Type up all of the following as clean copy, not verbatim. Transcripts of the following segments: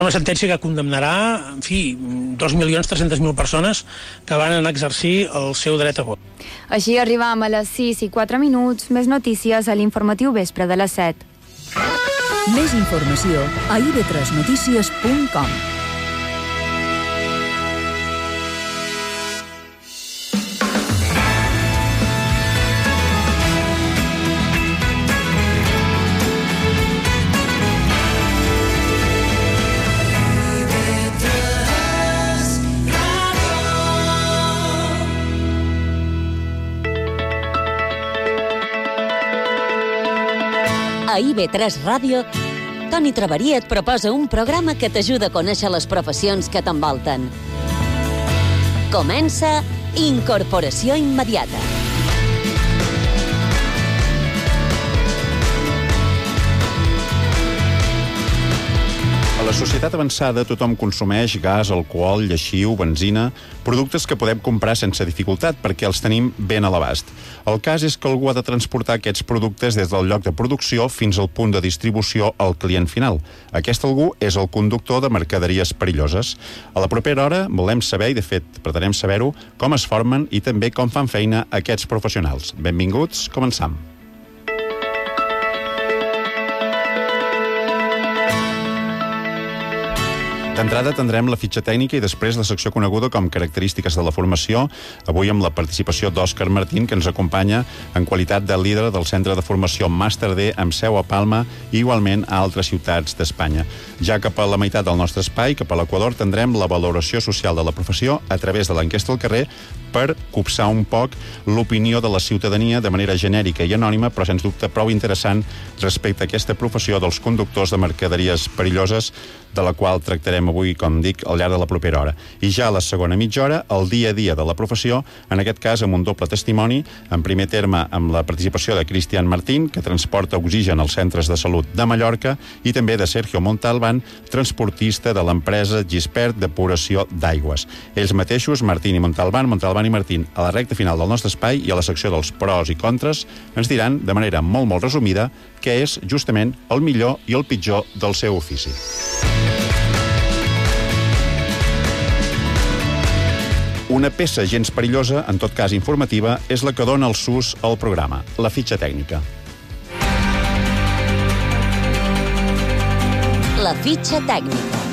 una sentència que condemnarà, en fi, 2.300.000 persones que van anar a exercir el seu dret a vot. Així arribam a les 6:04. Més notícies a l'informatiu vespre de les 7. Més informació a ib3notícies.com. A IB3 Ràdio, Toni Traverí et proposa un programa que t'ajuda a conèixer les professions que t'envolten. Comença Incorporació Immediata. A la societat avançada tothom consumeix gas, alcohol, lleixiu, benzina, productes que podem comprar sense dificultat perquè els tenim ben a l'abast. El cas és que algú ha de transportar aquests productes des del lloc de producció fins al punt de distribució al client final. Aquest algú és el conductor de mercaderies perilloses. A la propera hora volem saber, i de fet pretenem saber-ho, com es formen i també com fan feina aquests professionals. Benvinguts, començam. D'entrada tindrem la fitxa tècnica i després la secció coneguda com característiques de la formació, avui amb la participació d'Òscar Martín, que ens acompanya en qualitat de líder del Centre de Formació Màster D amb seu a Palma i igualment a altres ciutats d'Espanya. Ja cap a la meitat del nostre espai, cap a l'Equador, tindrem la valoració social de la professió a través de l'enquesta al carrer per copsar un poc l'opinió de la ciutadania de manera genèrica i anònima, però sens dubte prou interessant respecte a aquesta professió dels conductors de mercaderies perilloses, de la qual tractarem avui, com dic, al llarg de la propera hora. I ja a la segona mitja hora, el dia a dia de la professió, en aquest cas amb un doble testimoni, en primer terme amb la participació de Cristian Martín, que transporta oxigen als centres de salut de Mallorca, i també de Sergio Montalbán, transportista de l'empresa Gispert Depuració d'Aigües. Ells mateixos, Martín i Montalbán i Martín, a la recta final del nostre espai i a la secció dels pros i contres, ens diran, de manera molt resumida, què és justament el millor i el pitjor del seu ofici. Una peça gens perillosa, en tot cas informativa, és la que dona el sus al programa, la fitxa tècnica. La fitxa tècnica.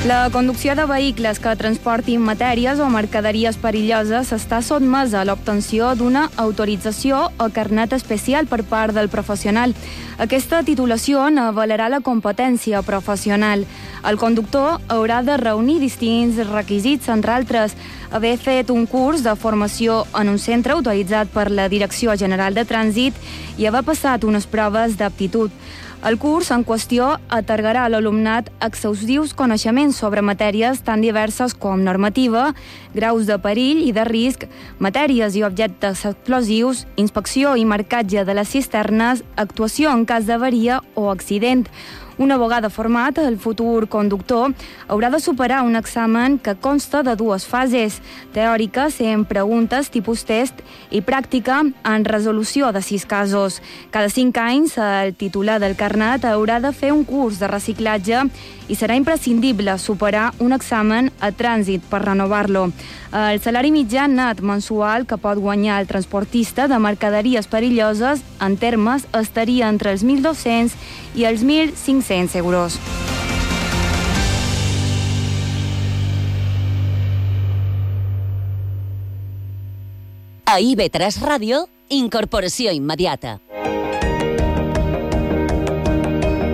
La conducció de vehicles que transportin matèries o mercaderies perilloses està sotmesa a l'obtenció d'una autorització o carnet especial per part del professional. Aquesta titulació n'avalarà la competència professional. El conductor haurà de reunir distints requisits, entre altres, haver fet un curs de formació en un centre autoritzat per la Direcció General de Trànsit i haver passat unes proves d'aptitud. El curs en qüestió atorgarà a l'alumnat exhaustius coneixements sobre matèries tan diverses com normativa, graus de perill i de risc, matèries i objectes explosius, inspecció i marcatge de les cisternes, actuació en cas d'avaria o accident. Una vegada format, el futur conductor haurà de superar un examen que consta de dues fases, teòrica, sent preguntes tipus test, i pràctica, en resolució de 6 casos. Cada 5 anys, el titular del carnet haurà de fer un curs de reciclatge i serà imprescindible superar un examen a trànsit per renovar-lo. El salari mitjà net mensual que pot guanyar el transportista de mercaderies perilloses en termes estaria entre els 1.200 i els 1.500 euros. A IB3 Ràdio, Incorporació Immediata.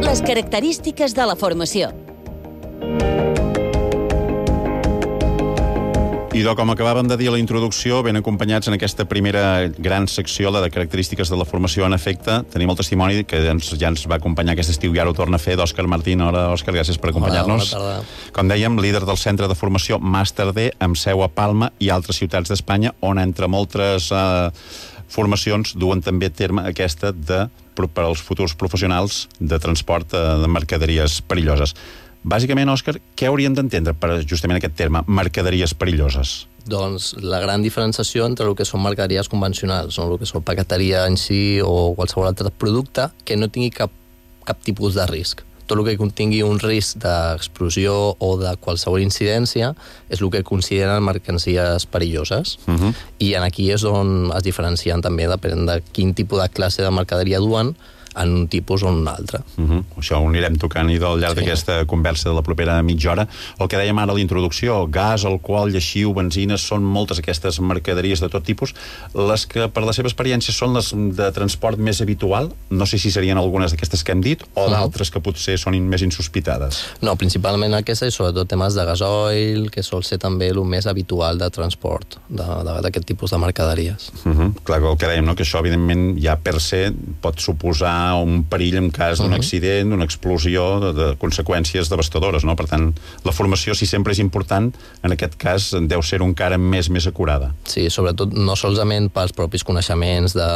Les característiques de la formació. Idò, com acabàvem de dir a la introducció, ben acompanyats en aquesta primera gran secció, la de característiques de la formació. En efecte, tenim el testimoni que ja ens va acompanyar aquest estiu i ara ho torna a fer, d'Òscar Martín. Hola, Òscar, gràcies per acompanyar-nos. Hola, bona tarda. Com dèiem, líder del Centre de Formació Màster D, amb seu a Palma i altres ciutats d'Espanya, on entre moltes formacions duen també a terme aquesta per als futurs professionals de transport de mercaderies perilloses. Bàsicament, Òscar, què hauríem d'entendre per justament aquest terme, mercaderies perilloses? Doncs la gran diferenciació entre el que són mercaderies convencionals, no? El que són paqueteria en si o qualsevol altre producte que no tingui cap tipus de risc. tot el que contingui un risc d'explosió o de qualsevol incidència és el que consideren mercancies perilloses. I aquí és on es diferencien també, depèn de quin tipus de classe de mercaderia duen, en un tipus o en un altre. Això ho anirem tocant i al llarg d'aquesta conversa de la propera mitja hora. El que dèiem ara a la introducció, gas, alcohol, lleixiu, benzina, són moltes aquestes mercaderies de tot tipus. Les que, per la seva experiència, són les de transport més habitual, no sé si serien algunes d'aquestes que hem dit, o d'altres que potser són més insospitades. No, principalment aquesta i sobretot temes de gasoil, que sol ser també el més habitual de transport d'aquest tipus de mercaderies. Clar, el que dèiem, no? Que això, evidentment, ja per se pot suposar un perill en cas d'un accident, d'una explosió, de conseqüències devastadores, no? Per tant, la formació, si sempre és important, en aquest cas deu ser encara més acurada. Sí, sobretot no solament pels propis coneixements de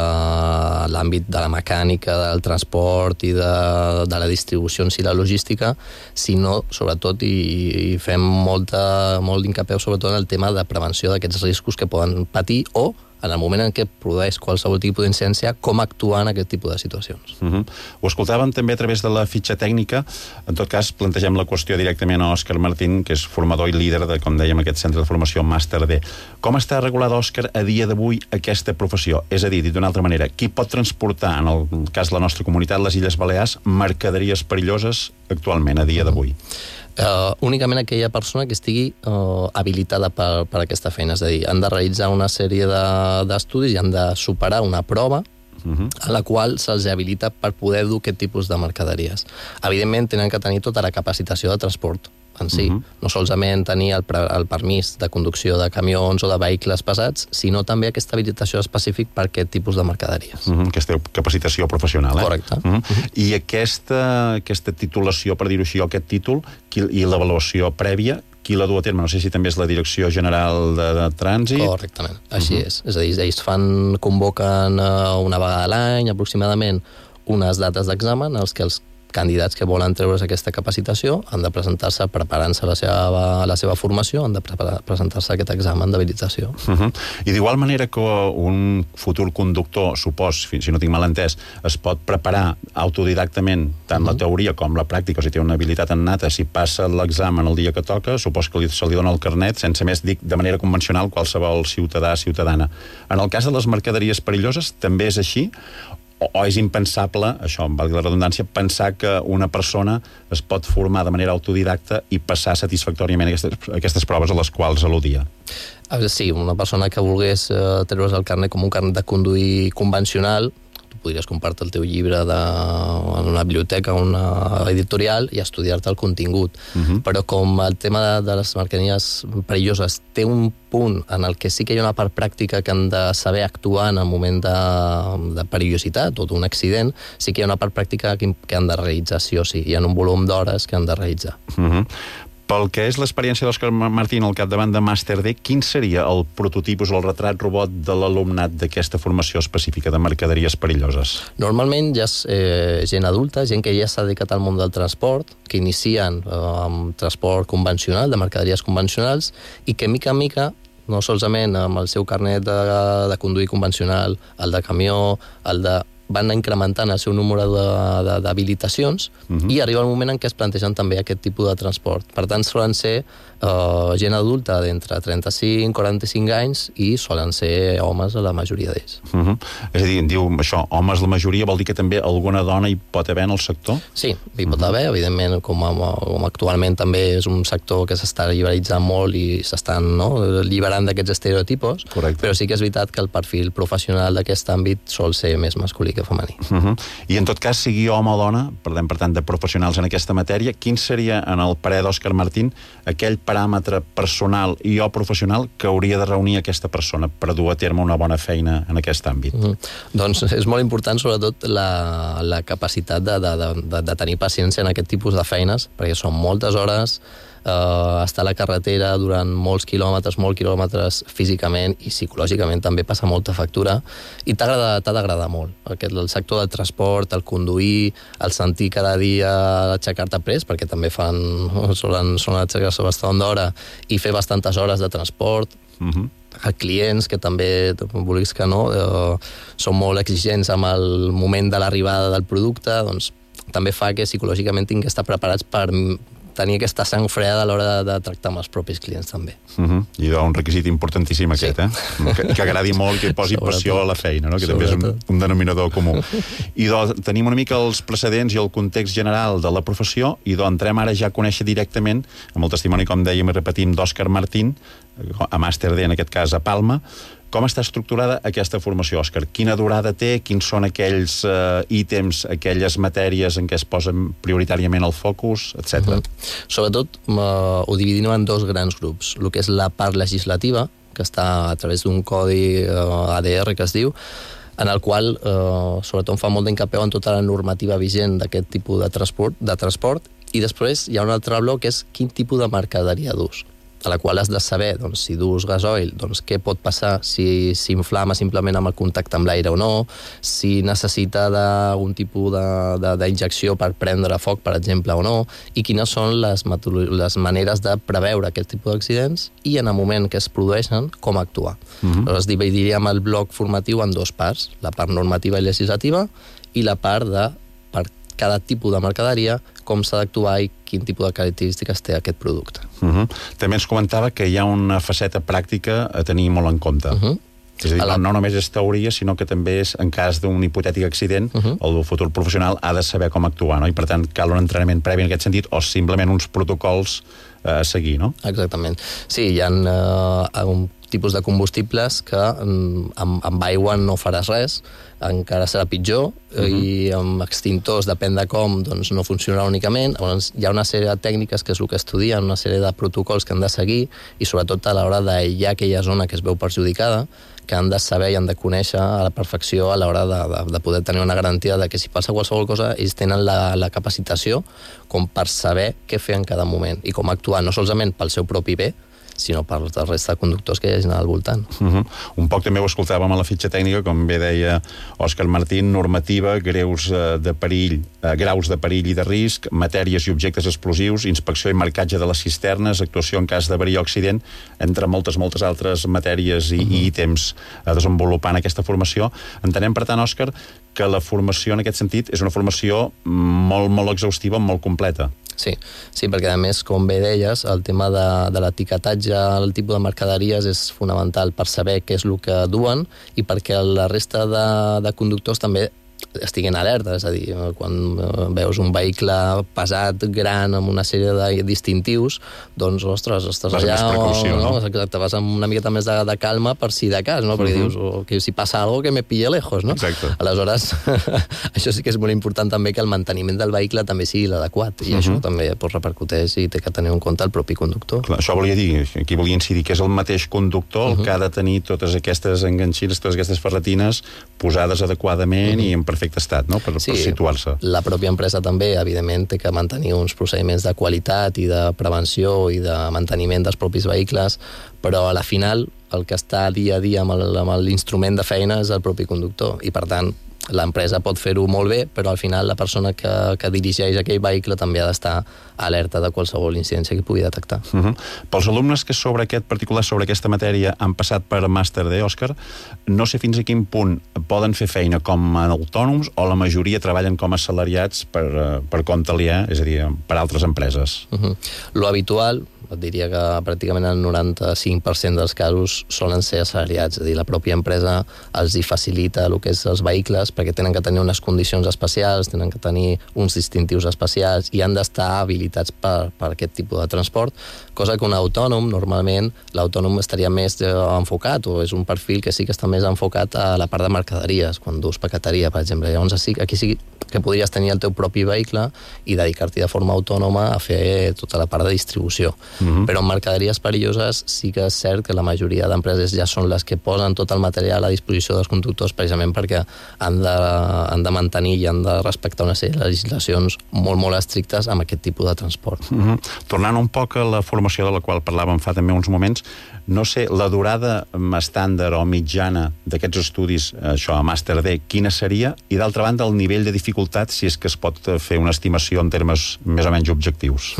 l'àmbit de la mecànica, del transport i de la distribució en si la logística, sinó sobretot, i fem molt d'incapeu sobretot en el tema de prevenció d'aquests riscos que poden patir o en el moment en què produeix qualsevol tipus d'incidència, com actuar en aquest tipus de situacions. Ho escoltàvem també a través de la fitxa tècnica. En tot cas, plantegem la qüestió directament a Òscar Martín, que és formador i líder de, com dèiem, aquest centre de formació Màster D. Com està regulada, Òscar, a dia d'avui aquesta professió? És a dir, dit d'una altra manera, qui pot transportar, en el cas de la nostra comunitat, les Illes Balears, mercaderies perilloses actualment, a dia d'avui? Únicament aquella persona que estigui habilitada per aquesta feina, és a dir, han de realitzar una sèrie d'estudis i han de superar una prova a la qual se'ls habilita per poder dur aquest tipus de mercaderies. Evidentment, tenen que tenir tota la capacitació de transport en si, no solament tenir el permís de conducció de camions o de vehicles pesats, sinó també aquesta habilitació específic per aquest tipus de mercaderies. Aquesta capacitació professional, Correcte. I aquesta titulació, per dir-ho així, o aquest títol, i l'avaluació prèvia, qui la du a terme? No sé si també és la Direcció General de Trànsit. Correctament, així és. És a dir, ells convoquen una vegada a l'any, aproximadament, unes dates d'examen als que els candidats que volen treure's aquesta capacitació han de presentar-se preparant-se la seva formació, han de presentar-se aquest examen d'habilitació. I d'igual manera que un futur conductor, si no tinc mal entès, es pot preparar autodidactament tant la teoria com la pràctica, o si té una habilitat innata, si passa l'examen el dia que toca, supos que se li dona el carnet, sense més, dic, de manera convencional, qualsevol ciutadana. En el cas de les mercaderies perilloses, també és així? O és impensable, això, valgui la redundància, pensar que una persona es pot formar de manera autodidacta i passar satisfactòriament aquestes proves a les quals al·ludia? Sí, una persona que volgués treure's el carnet com un carnet de conduir convencional, tu podries comprar-te el teu llibre en una biblioteca o una editorial i estudiar-te el contingut. Però com el tema de les mercaderies perilloses té un punt en el que sí que hi ha una part pràctica que han de saber actuar en el moment de perillositat o d'un accident, sí que hi ha una part pràctica que han de realitzar sí o sí. Hi ha un volum d'hores que han de realitzar. Pel que és l'experiència d'Òscar Martín al capdavant de Màster D, quin seria el prototipus o el retrat robot de l'alumnat d'aquesta formació específica de mercaderies perilloses? Normalment ja és gent adulta, gent que ja s'ha dedicat al món del transport, que inicien amb transport convencional, de mercaderies convencionals, i que mica en mica, no solament amb el seu carnet de conduir convencional, el de camió, van incrementant el seu número d'habilitacions i arriba el moment en què es plantegen també aquest tipus de transport. Per tant, solen ser gent adulta d'entre 35 i 45 anys i solen ser homes a la majoria d'ells. És a dir, diu això, homes la majoria, vol dir que també alguna dona hi pot haver en el sector? Sí, hi pot haver, evidentment, com actualment també és un sector que s'està liberalitzant molt i s'estan liberant d'aquests estereotipos, però sí que és veritat que el perfil professional d'aquest àmbit sol ser més masculí que femení. I en tot cas, sigui home o dona, parlem per tant de professionals en aquesta matèria, quin seria, en el parer d'Òscar Martín, aquell paràmetre personal i o professional que hauria de reunir aquesta persona per dur a terme una bona feina en aquest àmbit? Doncs és molt important sobretot la capacitat de tenir paciència en aquest tipus de feines, perquè són moltes hores, estar a la carretera durant molts quilòmetres físicament i psicològicament també passa molta factura i t'ha d'agradar molt. El sector del transport, el conduir, el sentir cada dia aixecar-te prest, perquè també solen aixecar-se bastant d'hora i fer bastantes hores de transport, clients que també, vulguis que no, són molt exigents amb el moment de l'arribada del producte, doncs també fa que psicològicament tinguin que estar preparats per tenir aquesta sang freda a l'hora de tractar amb els propis clients, també. I un requisit importantíssim aquest, que agradi molt, que posi passió a la feina, no? Que també és un denominador comú. I tenim una mica els precedents i el context general de la professió, i entrem ara ja a conèixer directament, amb el testimoni, com dèiem i repetim, d'Òscar Martín, a Màster D, en aquest cas a Palma. Com està estructurada aquesta formació, Òscar? Quina durada té? Quins són aquells ítems, aquelles matèries en què es posen prioritàriament el focus, etc. Sobretot ho dividim en dos grans grups. El que és la part legislativa, que està a través d'un codi ADR, que es diu, en el qual sobretot fa molt d'encapeu en tota la normativa vigent d'aquest tipus de transport, i després hi ha un altre bloc que és quin tipus de mercaderia dus, a la qual has de saber, doncs, si dus gasoil, doncs, què pot passar, si s'inflama simplement amb el contacte amb l'aire o no, si necessita d'algun tipus d'injecció per prendre foc, per exemple, o no, i quines són les maneres de preveure aquest tipus d'accidents i en el moment que es produeixen, com actuar. Llavors dividiríem el bloc formatiu en dues parts, la part normativa i legislativa i la part de cada tipus de mercaderia, com s'ha d'actuar i quin tipus de característiques té aquest producte. També ens comentava que hi ha una faceta pràctica a tenir molt en compte. És a dir, no només és teoria, sinó que també és, en cas d'un hipotètic accident, el futur professional ha de saber com actuar, no? I per tant cal un entrenament previ en aquest sentit o simplement uns protocols a seguir, no? Exactament. Sí, hi ha un tipus de combustibles que amb aigua no faràs res, encara serà pitjor, i amb extintors, depèn de com, doncs no funcionarà únicament. Llavors, hi ha una sèrie de tècniques, que és el que estudien, una sèrie de protocols que han de seguir, i sobretot a l'hora d'aïllar aquella zona que es veu perjudicada, que han de saber i han de conèixer a la perfecció a l'hora de poder tenir una garantia de que si passa qualsevol cosa, ells tenen la capacitació com per saber què fer en cada moment i com actuar, no solament pel seu propi bé, sinó per la resta de conductors que hi hagin al voltant. Un poc també ho escoltàvem a la fitxa tècnica, com bé deia Òscar Martín, normativa, graus de perill i de risc, matèries i objectes explosius, inspecció i marcatge de les cisternes, actuació en cas d'avaria o accident, entre moltes altres matèries i ítems a desenvolupar en aquesta formació. Entenem, per tant, Òscar, que la formació en aquest sentit és una formació molt exhaustiva, molt completa. Sí, perquè a més, com bé deies, el tema de l'etiquetatge, el tipus de mercaderies és fonamental per saber què és el que duen i perquè la resta de conductors també estiguin alerta, és a dir, quan veus un vehicle pesat, gran, amb una sèrie de distintius, doncs, ostres, estàs allà, exacte, vas amb una miqueta més de calma per si de cas, no? Perquè dius, que si passa algo que me pille lejos, no? Exacte. Aleshores, això sí que és molt important també, que el manteniment del vehicle també sigui l'adequat, i això també repercuteix i té que tenir en compte el propi conductor. Clar, això volia dir, aquí volia incidir, que és el mateix conductor el que ha de tenir totes aquestes enganxines, totes aquestes ferretines posades adequadament i en perfecte estat, no? Per situar-se. La pròpia empresa també, evidentment, té que mantenir uns procediments de qualitat i de prevenció i de manteniment dels propis vehicles, però a la final el que està dia a dia amb l'instrument de feina és el propi conductor, i per tant l'empresa pot fer-ho molt bé, però al final la persona que dirigeix aquell vehicle també ha d'estar alerta de qualsevol incidència que pugui detectar. Pels alumnes que sobre aquesta matèria han passat per Màster D, Òscar, no sé fins a quin punt poden fer feina com a autònoms o la majoria treballen com a assalariats per compte aliè, és a dir, per altres empreses. Lo habitual, et diria que pràcticament el 95% dels casos solen ser assalariats, és a dir, la pròpia empresa els hi facilita el que és els vehicles perquè tenen que tenir unes condicions especials, tenen que tenir uns distintius especials i han d'estar habilitats per aquest tipus de transport, cosa que un autònom, normalment, l'autònom estaria més enfocat, o és un perfil que sí que està més enfocat a la part de mercaderies, quan dus paqueteria, per exemple. Llavors, aquí sí que podries tenir el teu propi vehicle i dedicar-t'hi de forma autònoma a fer tota la part de distribució. Però en mercaderies perilloses sí que és cert que la majoria d'empreses ja són les que posen tot el material a disposició dels conductors precisament perquè han de mantenir i han de respectar una sèrie de legislacions molt estrictes amb aquest tipus de transport. Tornant un poc a la formació de la qual parlàvem fa també uns moments, no sé, la durada estàndard o mitjana d'aquests estudis, això, a Màster D, quina seria? I d'altra banda, el nivell de dificultat, si és que es pot fer una estimació en termes més o menys objectius.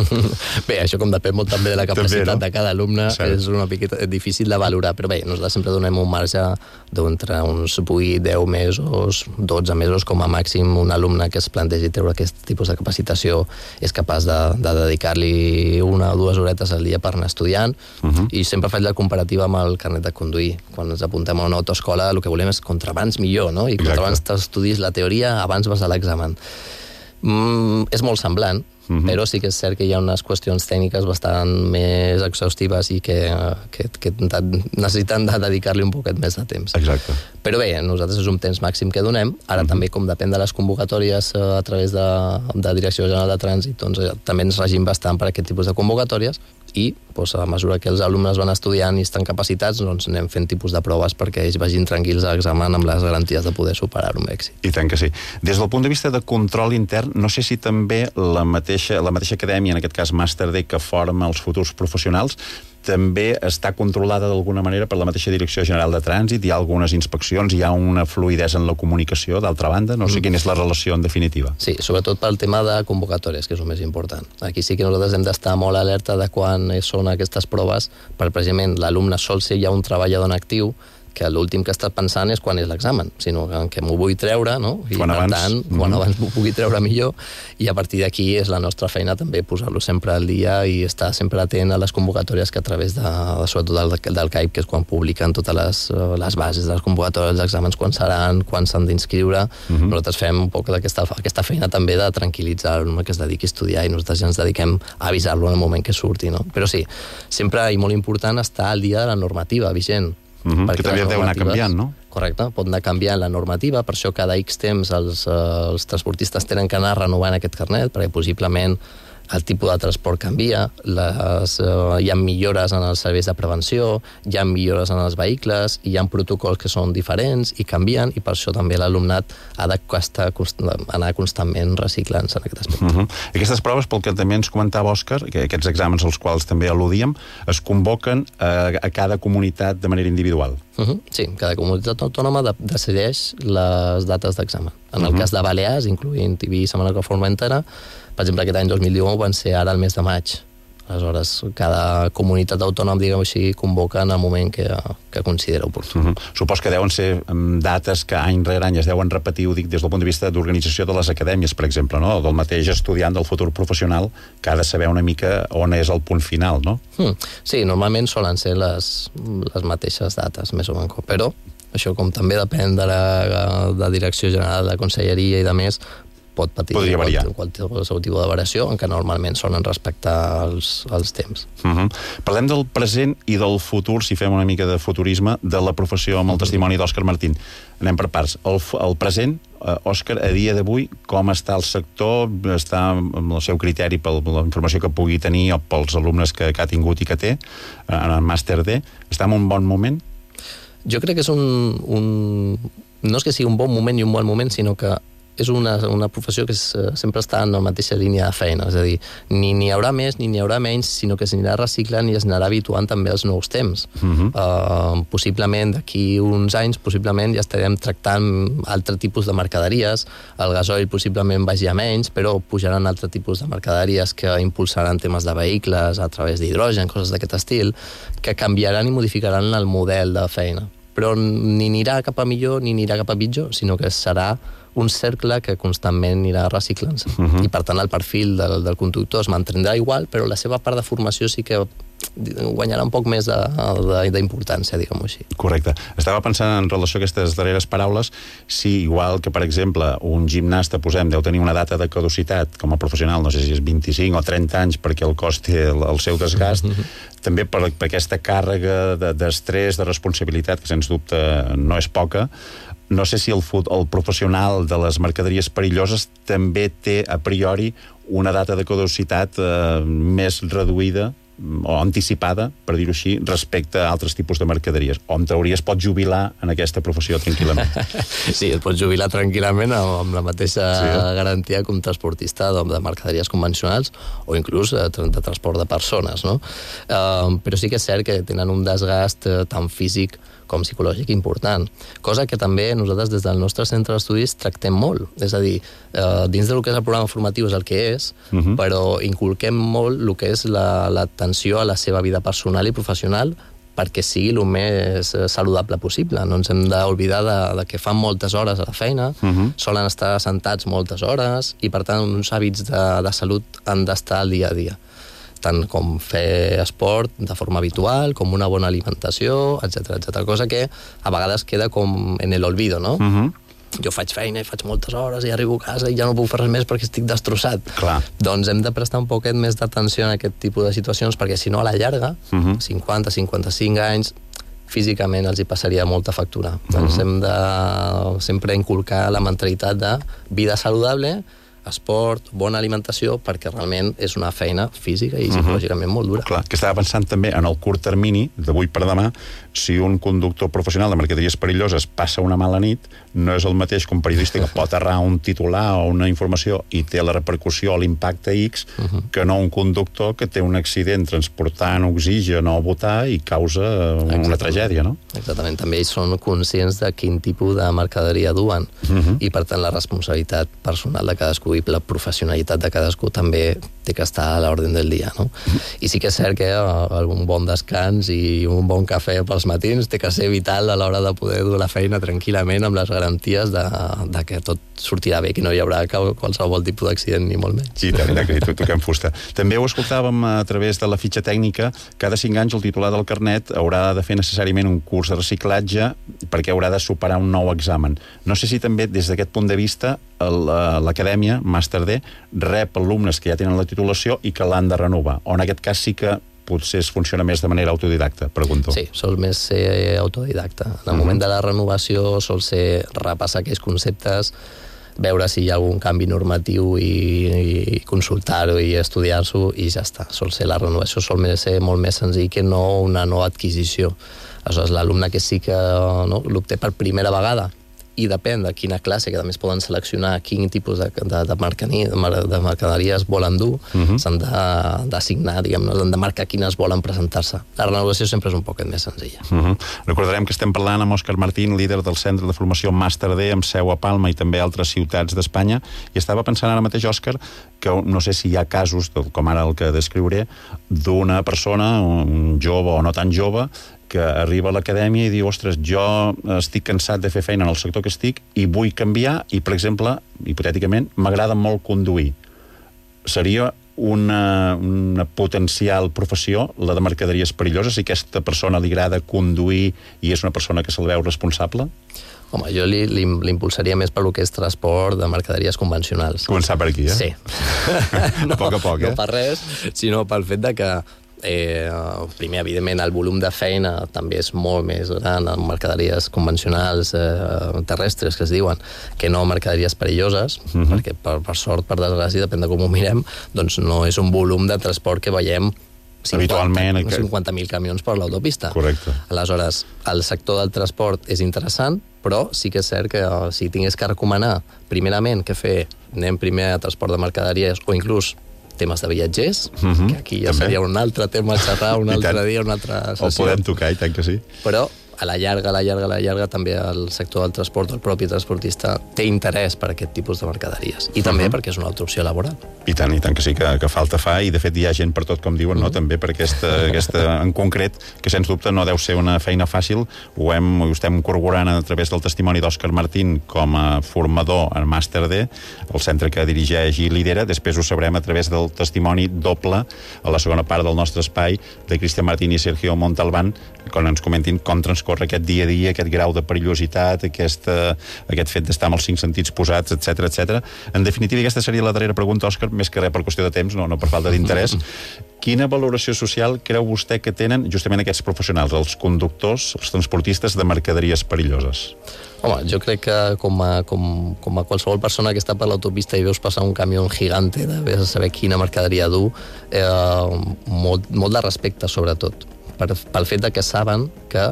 Bé, això com depèn molt també de la capacitat de cada alumne, és una miqueta difícil de valorar, però bé, nosaltres sempre donem un marge d'entre uns 8-10 mesos, 12 mesos com a màxim un alumne que es plantegi treure aquest tipus de capacitació és capaç de dedicar-li 1 o 2 horetes al dia per anar estudiant, i sempre faig la comparativa amb el carnet de conduir. Quan ens apuntem a una autoescola el que volem és contra abans millor, no? I contra abans t'estudis la teoria, abans vas a l'examen. És molt semblant, però sí que és cert que hi ha unes qüestions tècniques bastant més exhaustives i que necessiten de dedicar-li un poquet més de temps. Exacte. Però bé, nosaltres és un temps màxim que donem. Ara també, com depèn de les convocatòries a través de Direcció General de Trànsit, doncs també ens regim bastant per aquest tipus de convocatòries i a mesura que els alumnes van estudiant i estan capacitats, doncs anem fent tipus de proves perquè ells vagin tranquils a l'examen amb les garanties de poder superar-ho amb èxit. I tant que sí. Des del punt de vista de control intern, no sé si també la mateixa acadèmia, en aquest cas Màster D, que forma els futurs professionals, també està controlada d'alguna manera per la mateixa Direcció General de Trànsit, hi ha algunes inspeccions, hi ha una fluïdesa en la comunicació, d'altra banda, no sé quina és la relació en definitiva. Sí, sobretot pel tema de convocatòries, que és el més important. Aquí sí que nosaltres hem d'estar molt alerta de quan són aquestes proves, perquè precisament l'alumne sol ser ja un treballador en actiu, que l'últim que està pensant és quan és l'examen, sinó que m'ho vull treure, no? I quan per tant, quan abans m'ho pugui treure millor, i a partir d'aquí és la nostra feina també posar-lo sempre al dia i estar sempre atent a les convocatòries que a través sobretot del CAIP, que és quan publiquen totes les bases de les convocatòries, els exàmens, quan seran, quan s'han d'inscriure. Nosaltres fem un poc aquesta feina també de tranquil·litzar-lo, que es dediqui a estudiar, i nosaltres ja ens dediquem a avisar-lo en el moment que surti, no? Però sí, sempre i molt important estar al dia de la normativa vigent. Que també deu anar canviant, no? Correcte, pot anar canviant la normativa, per això cada X temps els transportistes tenen que anar renovant aquest carnet, perquè possiblement el tipus de transport canvia, hi ha millores en els serveis de prevenció, hi ha millores en els vehicles, hi ha protocols que són diferents i canvien, i per això també l'alumnat ha d'anar constantment reciclant-se en aquest aspecte. Aquestes proves, pel que també ens comentava Òscar, que aquests exàmens als quals també al·ludíem, es convoquen a cada comunitat de manera individual. Sí, cada comunitat autònoma decideix les dates d'examen. En el cas de Balears, incloent Eivissa, Menorca, Formentera, per exemple, aquest any 2019 van ser ara el mes de maig. Aleshores, cada comunitat autònoma, diguem així, convoca en el moment que considera oportú. Supos que deuen ser dates que any rere any es deuen repetir, ho dic des del punt de vista d'organització de les acadèmies, per exemple, no? Del mateix estudiant del futur professional, que ha de saber una mica on és el punt final, no? Sí, normalment solen ser les mateixes dates, més o menys, però això, com també depèn de la Direcció General de Conselleria i de més, pot patir qualsevol tipus de variació, en què normalment solen respectar els temps. Parlem del present i del futur, si fem una mica de futurisme, de la professió amb el testimoni d'Òscar Martín. Anem per parts. El present, Òscar, a dia d'avui, com està el sector? Està amb el seu criteri per la informació que pugui tenir o pels alumnes que ha tingut i que té en el Màster D? Està en un bon moment? Jo crec que és no és que sigui un bon moment i un bon moment, sinó que és una professió que sempre està en la mateixa línia de feina, és a dir, ni n'hi haurà més ni n'hi haurà menys, sinó que s'anirà reciclant i es anarà habituant també als nous temps. Possiblement d'aquí uns anys ja estarem tractant altre tipus de mercaderies, el gasoil possiblement vagi a menys, però pujaran altre tipus de mercaderies que impulsaran temes de vehicles a través d'hidrogen, coses d'aquest estil, que canviaran i modificaran el model de feina. Però ni anirà cap a millor ni anirà cap a pitjor, sinó que serà un cercle que constantment anirà reciclant-se. I per tant el perfil del conductor es mantindrà igual, però la seva part de formació sí que guanyarà un poc més d'importància, diguem-ho així. Correcte. Estava pensant en relació a aquestes darreres paraules, si igual que, per exemple, un gimnasta, deu tenir una data de caducitat com a professional, no sé si és 25 o 30 anys, perquè el cos té el seu desgast, també per aquesta càrrega d'estrès, de responsabilitat, que sens dubte no és poca. No sé si el professional de les mercaderies perilloses també té a priori una data de caducitat més reduïda o anticipada, per dir-ho així, respecte a altres tipus de mercaderies. O en teoria es pot jubilar en aquesta professió tranquil·lament. Sí, es pot jubilar tranquil·lament amb la mateixa garantia com transportista de mercaderies convencionals o inclús de transport de persones, no? Però sí que és cert que tenen un desgast tant físic com psicològic important, cosa que també nosaltres des del nostre centre d'estudis tractem molt, és a dir, dins del que és el programa formatiu és el que és, però inculquem molt el que és l'atenció a la seva vida personal i professional perquè sigui el més saludable possible. No ens hem d'oblidar de que fan moltes hores a la feina, solen estar sentats moltes hores i, per tant, uns hàbits de salut han d'estar al dia a dia. Tant com fer esport de forma habitual, com una bona alimentació, etc. Cosa que a vegades queda com en l'olvido, no? Jo faig feina i faig moltes hores i arribo a casa i ja no puc fer res més perquè estic destrossat. Clar. Doncs hem de prestar un poquet més d'atenció en aquest tipus de situacions, perquè si no, a la llarga, 50, 55 anys, físicament els hi passaria molta factura. Doncs hem de sempre inculcar la mentalitat de vida saludable, esport, bona alimentació, perquè realment és una feina física i psicològicament molt dura. Clar, que estava pensant també en el curt termini, d'avui per demà, si un conductor professional de mercaderies perilloses passa una mala nit, no és el mateix que un periodista que pot errar un titular o una informació i té la repercussió o l'impacte X, que no un conductor que té un accident transportant oxigen o butà i causa una tragèdia, no? Exactament, també ells són conscients de quin tipus de mercaderia duen i, per tant, la responsabilitat personal de cadascú i la professionalitat de cadascú també té que estar a l'ordre del dia, no? I sí que és cert que un bon descans i un bon cafè pels matins té que ser vital a l'hora de poder dur la feina tranquil·lament amb les garanties de que tot sortirà bé, que no hi haurà qualsevol tipus d'accident ni molt menys. Sí, també, que toquem fusta. També ho escoltàvem a través de la fitxa tècnica. Cada 5 anys el titular del carnet haurà de fer necessàriament un curs de reciclatge perquè haurà de superar un nou examen. No sé si també, des d'aquest punt de vista, l'acadèmia, Màster D, rep alumnes que ja tenen la titulació i que l'han de renovar. O en aquest cas sí que potser es funciona més de manera autodidacta, pregunto. Sí, sol més ser autodidacta. En el moment de la renovació sol ser repassar aquells conceptes, veure si hi ha algun canvi normatiu i consultar-ho i estudiar-s'ho i ja està. Sol ser la renovació, sol ser molt més senzill que no una nova adquisició. Aleshores, l'alumne que sí que l'obté per primera vegada i depèn de quina classe, que també es poden seleccionar quin tipus de mercaderies volen dur, s'han d'assignar, diguem-ne, han de marcar quines volen presentar-se. La renovació sempre és un poquet més senzilla. Recordarem que estem parlant amb Òscar Martín, líder del Centre de Formació Màster D, amb seu a Palma i també a altres ciutats d'Espanya, i estava pensant ara mateix, Òscar, que no sé si hi ha casos, com ara el que descriuré, d'una persona, un jove o no tan jove, que arriba a l'acadèmia i diu, ostres, jo estic cansat de fer feina en el sector que estic i vull canviar i, per exemple, hipotèticament, m'agrada molt conduir. Seria una potencial professió, la de mercaderies perilloses, si aquesta persona li agrada conduir i és una persona que se'l veu responsable? Home, jo l'impulsaria més per lo que és transport de mercaderies convencionals. Començar per aquí, eh? Sí. A poc a poc, eh? No per res, sinó pel fet de que primer, evidentment, el volum de feina també és molt més gran en mercaderies convencionals terrestres, que es diuen, que no mercaderies perilloses, perquè per sort, per desgràcia, depèn de com ho mirem, doncs no és un volum de transport que veiem habitualment 50.000 camions per l'autopista. Correcte. Aleshores, el sector del transport és interessant, però sí que és cert que si tingués que recomanar, primerament, què fer? Anem primer a transport de mercaderies o inclús temes de viatgers, que aquí ja seria un altre tema a xerrar, un altre dia, una altra sessió. El podem tocar, i tant que sí. Però a la llarga, també el sector del transport, el propi transportista, té interès per aquest tipus de mercaderies. I també perquè és una altra opció laboral. I tant que sí, que falta fa, i de fet hi ha gent per tot, com diuen, no? També per aquesta en concret, que sens dubte no deu ser una feina fàcil. Ho estem corroborant a través del testimoni d'Òscar Martín com a formador en Màster D, el centre que dirigeix i lidera. Després ho sabrem a través del testimoni doble a la segona part del nostre espai de Cristian Martín i Sergio Montalbán, quan ens comentin com transcorre aquest dia a dia, aquest grau de perillositat, aquest fet d'estar amb els 5 sentits posats, etc. En definitiva, aquesta seria la darrera pregunta, Òscar, més que res per qüestió de temps, no per falta d'interès. Quina valoració social creu vostè que tenen justament aquests professionals, els conductors, els transportistes de mercaderies perilloses? Home, jo crec que com a qualsevol persona que està per l'autopista i veus passar un camió gigante, de saber quina mercaderia dur, molt de respecte, sobretot, pel fet de que saben que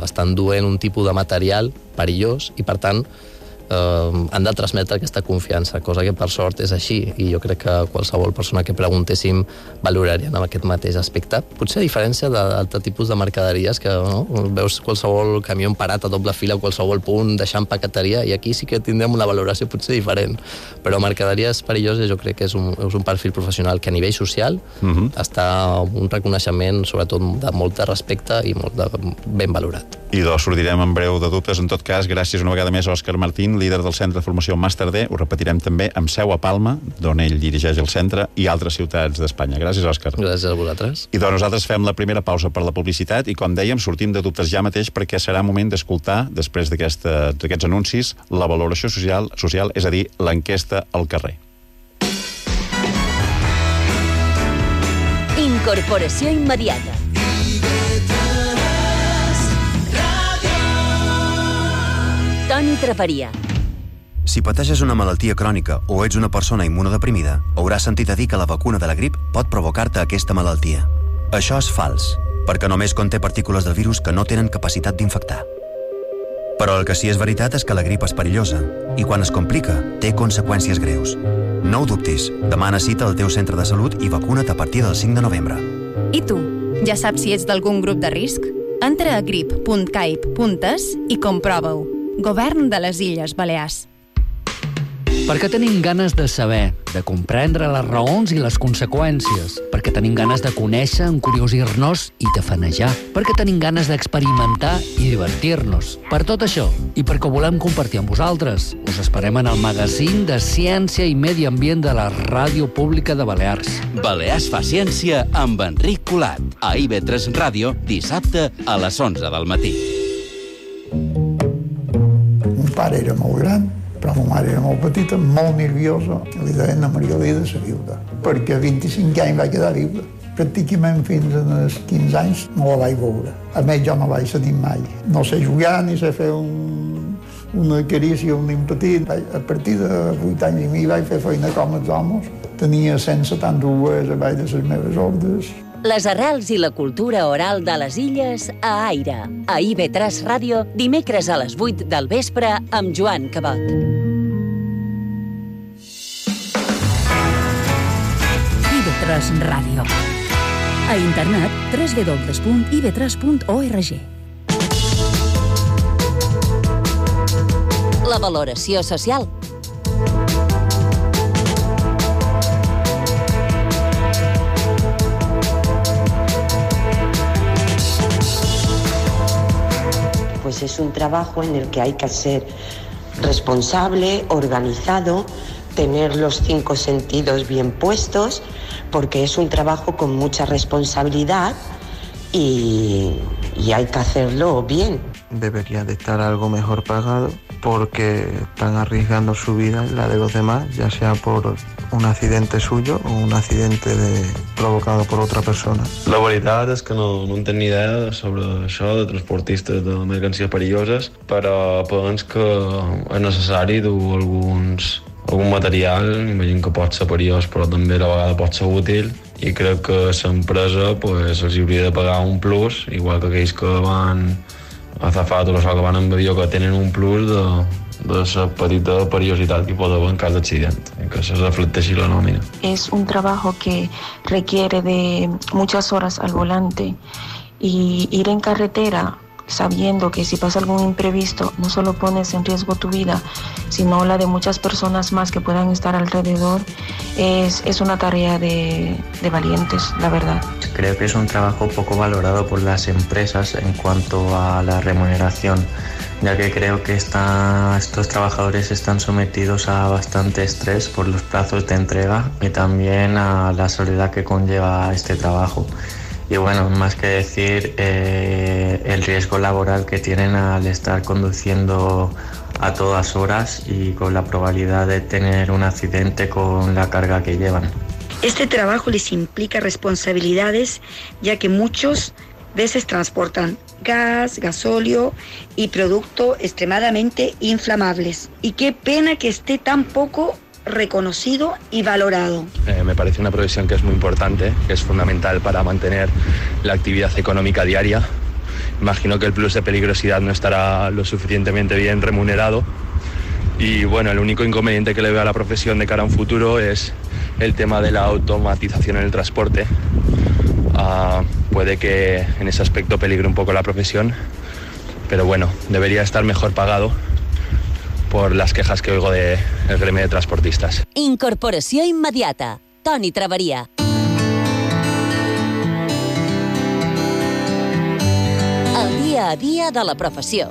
estan duent un tipus de material perillós i, per tant, han de transmetre aquesta confiança, cosa que per sort és així, i jo crec que qualsevol persona que preguntéssim valorarien en aquest mateix aspecte. Potser a diferència d'altres tipus de mercaderies que veus qualsevol camió parat a doble fila a qualsevol punt deixant paqueteria, i aquí sí que tindrem una valoració potser diferent, però mercaderies perilloses jo crec que és un perfil professional que a nivell social està un reconeixement sobretot de molt de respecte i molt ben valorat. I sortirem en breu de dubtes. En tot cas, gràcies una vegada més a Òscar Martín, líder del Centre de Formació Màster D. Ho repetirem també amb seu a Palma, d'on ell dirigeix el centre, i altres ciutats d'Espanya. Gràcies, Òscar. Gràcies a vosaltres. I doncs nosaltres fem la primera pausa per la publicitat i, com dèiem, sortim de dubtes ja mateix perquè serà moment d'escoltar, després d'aquests anuncis, la valoració social, és a dir, l'enquesta al carrer. Incorporació immediata. Toni Traveria. Si pateixes una malaltia crònica o ets una persona immunodeprimida, hauràs sentit a dir que la vacuna de la grip pot provocar-te aquesta malaltia. Això és fals, perquè només conté partícules del virus que no tenen capacitat d'infectar. Però el que sí és veritat és que la grip és perillosa i quan es complica té conseqüències greus. No ho dubtis, demana cita al teu centre de salut i vacuna't a partir del 5 de novembre. I tu, ja saps si ets d'algun grup de risc? Entra a grip.caip.es i comprova-ho. Govern de les Illes Balears. Perquè tenim ganes de saber, de comprendre les raons i les conseqüències, perquè tenim ganes de conèixer, encuriosir-nos i tafanejar, perquè tenim ganes d'experimentar i divertir-nos. Per tot això, i perquè ho volem compartir amb vosaltres, us esperem en el magazín de Ciència i Medi Ambient de la Ràdio Pública de Balears. Balears fa ciència amb Enric Colat, a IB3 Ràdio, dissabte a les 11 del matí. Mon pare era molt gran, però ma mare era molt petita, molt nerviosa. Li deien a Margalida la viuda, perquè a 25 anys va quedar viuda. Pràcticament fins als 15 anys no la vaig veure. A més, jo no vaig sentir mai. No sé jugar ni sé fer una carícia a un nen petit. A partir de 8 anys i mig vaig fer feina com els homes. Tenia 172 a baix de les meves ordres. Les arrels i la cultura oral de les Illes a Aire. A IB3 Ràdio, dimecres a les 8 del vespre amb Joan Cabot. IB3 Ràdio. A internet www.ib3.org. La valoració social. Pues es un trabajo en el que hay que ser responsable, organizado, tener los 5 sentidos bien puestos, porque es un trabajo con mucha responsabilidad y hay que hacerlo bien. Debería de estar algo mejor pagado porque están arriesgando su vida y la de los demás, ya sea por un accidente suyo o un accidente provocado per altra persona. La veritat és que no en tenc ni idea sobre això de transportistes de mercancies perilloses, però penso que és necessari dur algun material, imagino que pot ser perillós però també a la vegada pot ser útil, i crec que l'empresa els hauria de pagar un plus, igual que aquells que van a Zafat o això que van en avió, que tenen un plus de la petita perillositat que pot haver en cas d'accident, que se reflecteixi la nòmina. Es un trabajo que requiere de muchas horas al volante y ir en carretera sabiendo que si pasa algún imprevisto no solo pones en riesgo tu vida, sino la de muchas personas más que puedan estar alrededor, es una tarea de valientes, la verdad. Creo que es un trabajo poco valorado por las empresas en cuanto a la remuneración, ya que creo que estos trabajadores están sometidos a bastante estrés por los plazos de entrega y también a la soledad que conlleva este trabajo. Y bueno, más que decir el riesgo laboral que tienen al estar conduciendo a todas horas y con la probabilidad de tener un accidente con la carga que llevan. Este trabajo les implica responsabilidades, ya que muchas veces transportan gas, gasóleo y productos extremadamente inflamables. Y qué pena que esté tan poco reconocido y valorado. Me parece una profesión que es muy importante, que es fundamental para mantener la actividad económica diaria. Imagino que el plus de peligrosidad no estará lo suficientemente bien remunerado Y bueno, el único inconveniente que le veo a la profesión de cara a un futuro es el tema de la automatización en el transporte. Puede que en ese aspecto peligre un poco la profesión, pero bueno, debería estar mejor pagado por las quejas que oigo del gremio de transportistas. Incorporació immediata. Toni Traveria. El dia a dia de la professió.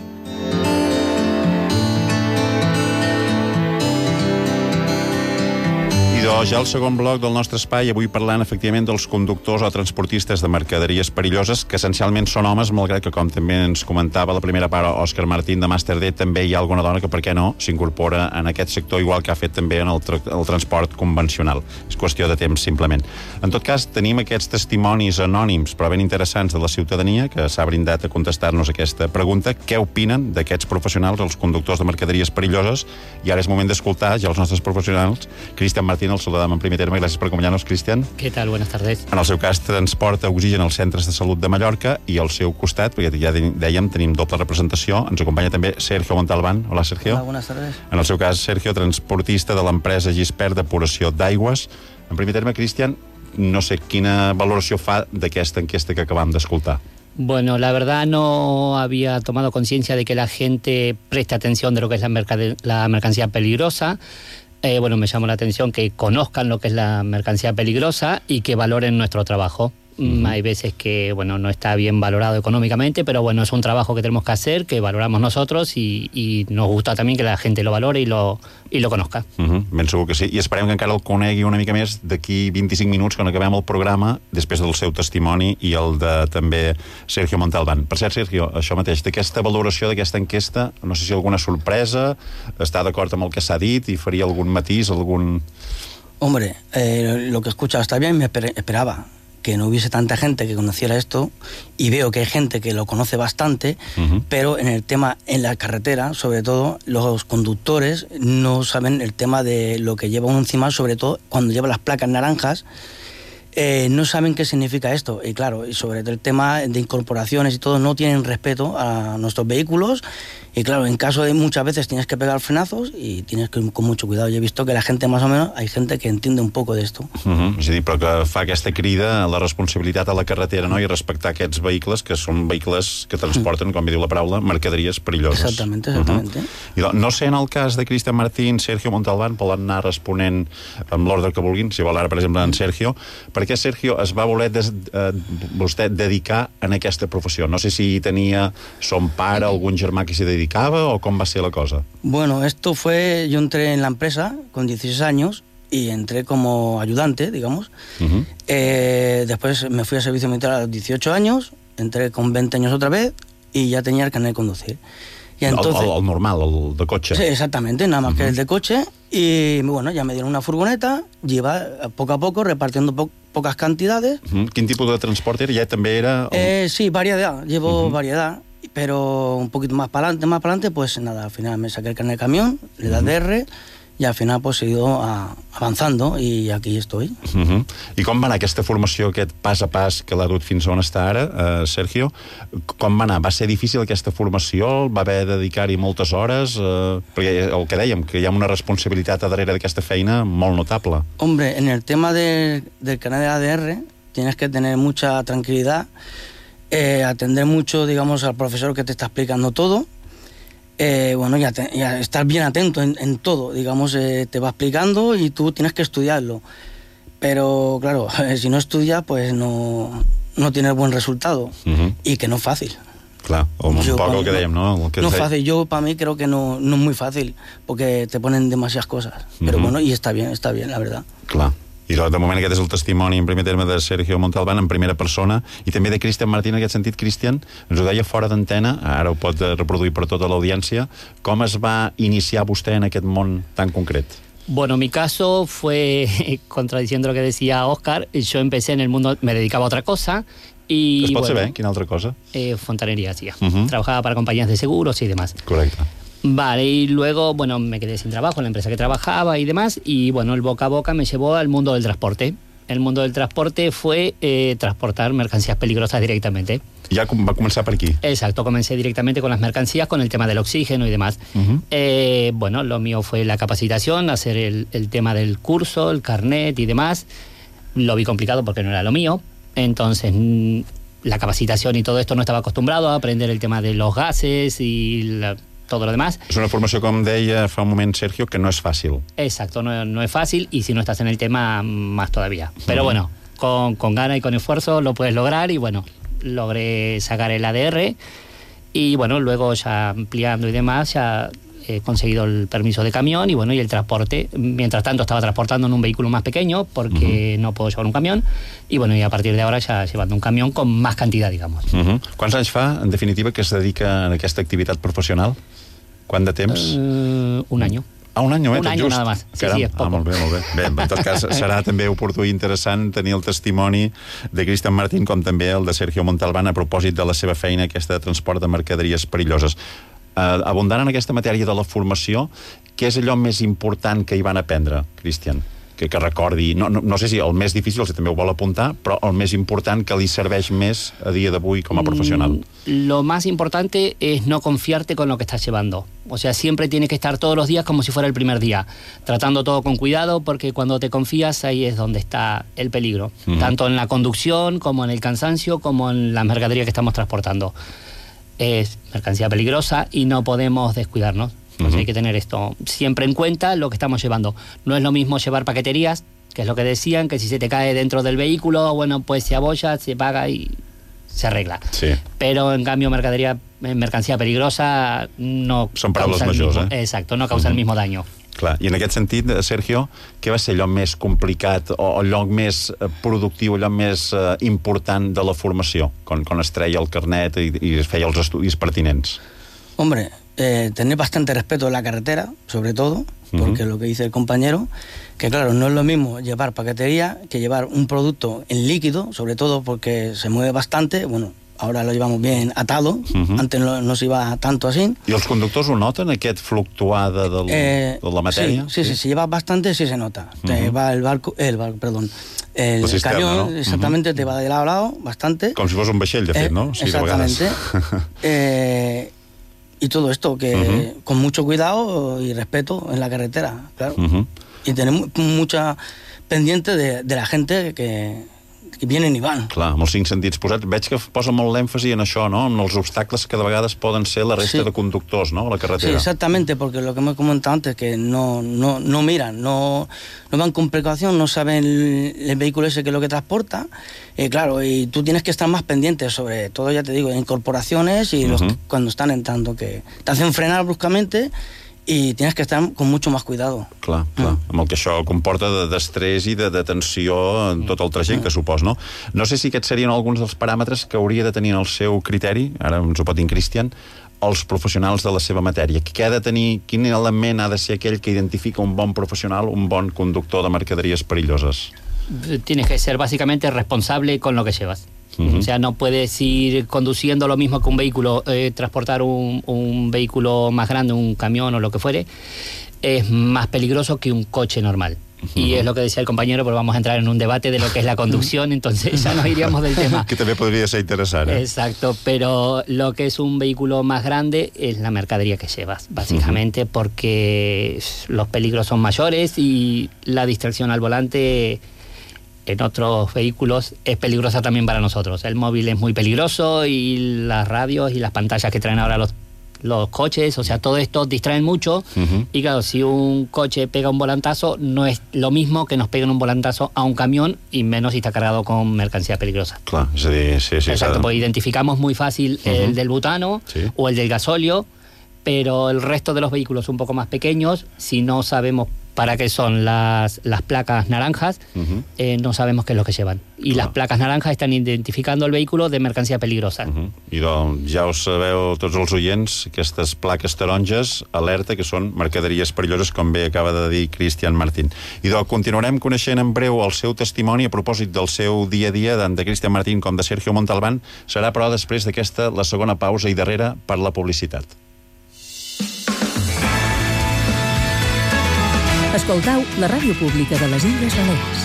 Ja al segon bloc del nostre espai, avui parlant efectivament dels conductors o transportistes de mercaderies perilloses, que essencialment són homes, malgrat que, com també ens comentava la primera part Òscar Martín de Master D, també hi ha alguna dona que, per què no, s'incorpora en aquest sector, igual que ha fet també en el transport convencional. És qüestió de temps, simplement. En tot cas, tenim aquests testimonis anònims, però ben interessants, de la ciutadania, que s'ha brindat a contestar-nos aquesta pregunta. Què opinen d'aquests professionals, els conductors de mercaderies perilloses? I ara és moment d'escoltar ja els nostres professionals. Cristian Martín, el saludam en primer terme. Gràcies per acompanyar-nos, Cristian. ¿Qué tal? Buenas tardes. En el seu cas, transporta oxigen als centres de salut de Mallorca, i al seu costat, perquè ja dèiem, tenim doble representació, ens acompanya també Sergio Montalbán. Hola, Sergio. Hola, buenas tardes. En el seu cas, Sergio, transportista de l'empresa Gispert depuració d'aigües. En primer terme, Cristian, no sé quina valoració fa d'aquesta enquesta que acabam d'escoltar. Bueno, la verdad no había tomado conciencia de que la gente preste atención de lo que es la mercancía peligrosa. Bueno, me llamó la atención que conozcan lo que es la mercancía peligrosa y que valoren nuestro trabajo. Hay veces que, bueno, no está bien valorado económicamente, pero bueno, es un trabajo que tenemos que hacer, que valoramos nosotros y nos gusta también que la gente lo valore y lo conozca. Ben segur que sí. I esperem que encara el conegui una mica més d'aquí 25 minuts, quan acabem el programa, després del seu testimoni i el de també Sergio Montalbán. Per cert, Sergio, això mateix, d'aquesta valoració d'aquesta enquesta, no sé si alguna sorpresa, està d'acord amb el que s'ha dit i faria algun matís, algun... Hombre, lo que he escuchado está bien, me esperaba que no hubiese tanta gente que conociera esto, y veo que hay gente que lo conoce bastante, pero en el tema, en la carretera, sobre todo, los conductores no saben el tema de lo que lleva uno encima, sobre todo cuando lleva las placas naranjas, no saben qué significa esto. Y claro, y sobre el tema de incorporaciones y todo, no tienen respeto a nuestros vehículos. Y claro, en caso de muchas veces tienes que pegar frenazos y tienes que ir con mucho cuidado. Yo he visto que la gente, más o menos, hay gente que entiende un poco de esto. És a dir, però que fa aquesta crida a la responsabilitat a la carretera, no?, i respectar aquests vehicles, que són vehicles que transporten, com diu la paraula, mercaderies perilloses. Exactamente, exactamente. I no sé, en el cas de Cristian Martín, Sergio Montalbán, poden anar responent amb l'ordre que vulguin, si vol ara, per exemple, en Sergio. Per què Sergio es va voler vostè dedicar en aquesta professió? No sé si tenia son pare, algun germà que s'hi dedicava, o com va ser la cosa? Bueno, esto fue... Yo entré en la empresa con 16 años y entré como ayudante, digamos. Después me fui a servicio militar a los 18 años, entré con 20 años otra vez y ya tenía el carnet de conducir. Y entonces, el normal, el de coche. Sí, exactamente, nada más que el de coche. Y bueno, ya me dieron una furgoneta, iba poco a poco repartiendo pocas cantidades. Quin tipus de transport era? Ja també era... Sí, variedad, llevo variedad, pero un poquito más para adelante, pues nada, al final me saqué el carnet de camión, le da DR, i al final pues, he ido avanzando i aquí estoy. I com va anar aquesta formació, aquest pas a pas que l'ha dut fins on està ara, Sergio? Com va anar? Va ser difícil aquesta formació? Va haver de dedicar-hi moltes hores? Perquè el que dèiem, que hi ha una responsabilitat a darrere d'aquesta feina molt notable. Hombre, en el tema del carnet de ADR tienes que tener mucha tranquilidad, atender mucho, digamos, al profesor que te está explicando todo. Bueno, ya estar bien atento en todo, digamos, te va explicando y tú tienes que estudiarlo. Pero, claro, si no estudias, pues no tienes buen resultado. Y que no es fácil. Clar, o un poco que dèiem, no? No es fácil, yo para mí creo que no es muy fácil, porque te ponen demasiadas cosas. Pero bueno, y está bien, la verdad. Clar. I de moment aquest és el testimoni en primer terme de Sergio Montalbán en primera persona i també de Cristian Martín. En aquest sentit, Cristian, ens ho deia fora d'antena, ara ho pot reproduir per tota l'audiència, com es va iniciar vostè en aquest món tan concret? Bueno, mi caso fue, contradiciendo lo que decía Óscar, yo empecé en el mundo, me dedicaba a otra cosa. Y, es pot saber quina altra cosa? Fontanería, sí. Trabajaba para compañías de seguros y demás. Correcte. Vale, y luego, bueno, me quedé sin trabajo en la empresa que trabajaba y demás, y bueno, el boca a boca me llevó al mundo del transporte. el mundo del transporte fue transportar mercancías peligrosas directamente. Ja va començar per aquí. Exacto, comencé directamente con las mercancías, con el tema del oxígeno y demás. Bueno, lo mío fue la capacitación, hacer el tema del curso, el carnet y demás. Lo vi complicado porque no era lo mío. Entonces, la capacitación y todo esto no estaba acostumbrado a aprender el tema de los gases y todo lo demás. És una formació, com deia fa un moment Sergio, que no és fàcil. Exacto, no es fácil y si no estás en el tema, más todavía. Pero bueno, con gana y con esfuerzo lo puedes lograr y bueno, logré sacar el ADR y bueno, luego ya ampliando y demás, ya he conseguido el permiso de camión y bueno, y el transporte. Mientras tanto estaba transportando en un vehículo más pequeño porque no puedo llevar un camión y bueno, y a partir de ahora ya llevando un camión con más cantidad, digamos. Quants anys fa, en definitiva, que es dedica a aquesta activitat professional? Quant de temps? Un año. Un any, un any nada más. Sí, sí, és poc. Molt bé, molt bé. Bé, en tot cas, serà també oportú i interessant tenir el testimoni de Cristian Martín com també el de Sergio Montalbán a propòsit de la seva feina, aquesta de transport de mercaderies perilloses. Abundant en aquesta matèria de la formació, què és allò més important que hi van aprendre, Cristian? Que recordi, no sé si el més difícil, si també ho vol apuntar, però el més important que li serveix més a dia d'avui com a professional. Lo más importante es no confiarte con lo que estás llevando. O sea, siempre tienes que estar todos los días como si fuera el primer día, tratando todo con cuidado, porque cuando te confías ahí es donde está el peligro, tanto en la conducción como en el cansancio, como en la mercadería que estamos transportando. Es mercancía peligrosa y no podemos descuidarnos. Entonces hay que tener esto siempre en cuenta, lo que estamos llevando. No es lo mismo llevar paqueterías, que es lo que decían, que si se te cae dentro del vehículo, bueno, pues se abolla, se paga y se arregla. Sí. Pero en cambio mercancía peligrosa no són paraules majors, Exacto, no causa el mismo daño. Clar, i en aquest sentit, Sergio, què va ser allò més complicat o allò més productiu, allò més important de la formació, quan es treia el carnet i es feia els estudis pertinents? Hombre, tener bastante respeto en la carretera, sobre todo, porque lo que dice el compañero, que claro, no es lo mismo llevar paquetería que llevar un producto en líquido, sobre todo porque se mueve bastante, bueno, ahora lo llevamos bien atado, antes no se iba tanto así. I els conductors ho noten, aquest fluctuar de la matèria? Sí, si llevas bastante, sí se nota. Te va el sistema, camión, ¿no? Exactamente, te va de lado a lado, bastante. Com si fos un vaixell, de fet, no? Sí, exactamente. Y todo esto, que con mucho cuidado y respeto en la carretera, claro. Y tenemos mucha pendiente de la gente que vienen i van. Clar, amb els 5 sentits posats. Veig que posa molt l'èmfasi en això, no? En els obstacles que de vegades poden ser la resta de conductors, no?, a la carretera. Sí, exactamente, porque lo que hemos comentado antes, que no miran, no van con precaución, no saben el vehículo ese que es lo que transporta. Claro, y tú tienes que estar más pendiente, sobre todo, ya te digo, en corporaciones y cuando están entrando, que te hacen frenar bruscamente i tienes que estar con mucho más cuidado. Clar, amb el que això comporta d'estrès i de tensió en tot el trajecte, que supos, no? No sé si aquests serien alguns dels paràmetres que hauria de tenir en el seu criteri, ara ens ho pot dir Cristian, els professionals de la seva matèria. Què ha de tenir, quin element ha de ser aquell que identifica un bon professional, un bon conductor de mercaderies perilloses? Tienes que ser básicamente responsable con lo que llevas. O sea, no puedes ir conduciendo lo mismo que un vehículo, transportar un vehículo más grande, un camión o lo que fuere, es más peligroso que un coche normal. Y es lo que decía el compañero, pero vamos a entrar en un debate de lo que es la conducción, entonces ya nos iríamos del tema. Que també podria ser interessant, Exacto, pero lo que es un vehículo más grande es la mercadería que llevas, básicamente, porque los peligros son mayores y la distracción al volante en otros vehículos es peligrosa también para nosotros. El móvil es muy peligroso y las radios y las pantallas que traen ahora los coches, o sea, todo esto distraen mucho y claro, si un coche pega un volantazo, no es lo mismo que nos peguen un volantazo a un camión y menos si está cargado con mercancía peligrosa. Clar, és a dir, sí. Exacto, pues identificamos muy fácil el del butano o el del gasóleo, pero el resto de los vehículos un poco más pequeños, si no sabemos para qué son las placas naranjas, no sabemos qué es lo que llevan. Y las placas naranjas están identificando el vehículo de mercancía peligrosa. I doncs ja ho sabeu tots els oients, aquestes plaques taronges, alerta, que són mercaderies perilloses, com bé acaba de dir Cristian Martín. I doncs continuarem coneixent en breu el seu testimoni a propòsit del seu dia a dia, tant de Cristian Martín com de Sergio Montalbán. Serà, però, després d'aquesta, la segona pausa i darrere per la publicitat. Escoltau la ràdio pública de les Illes Balears.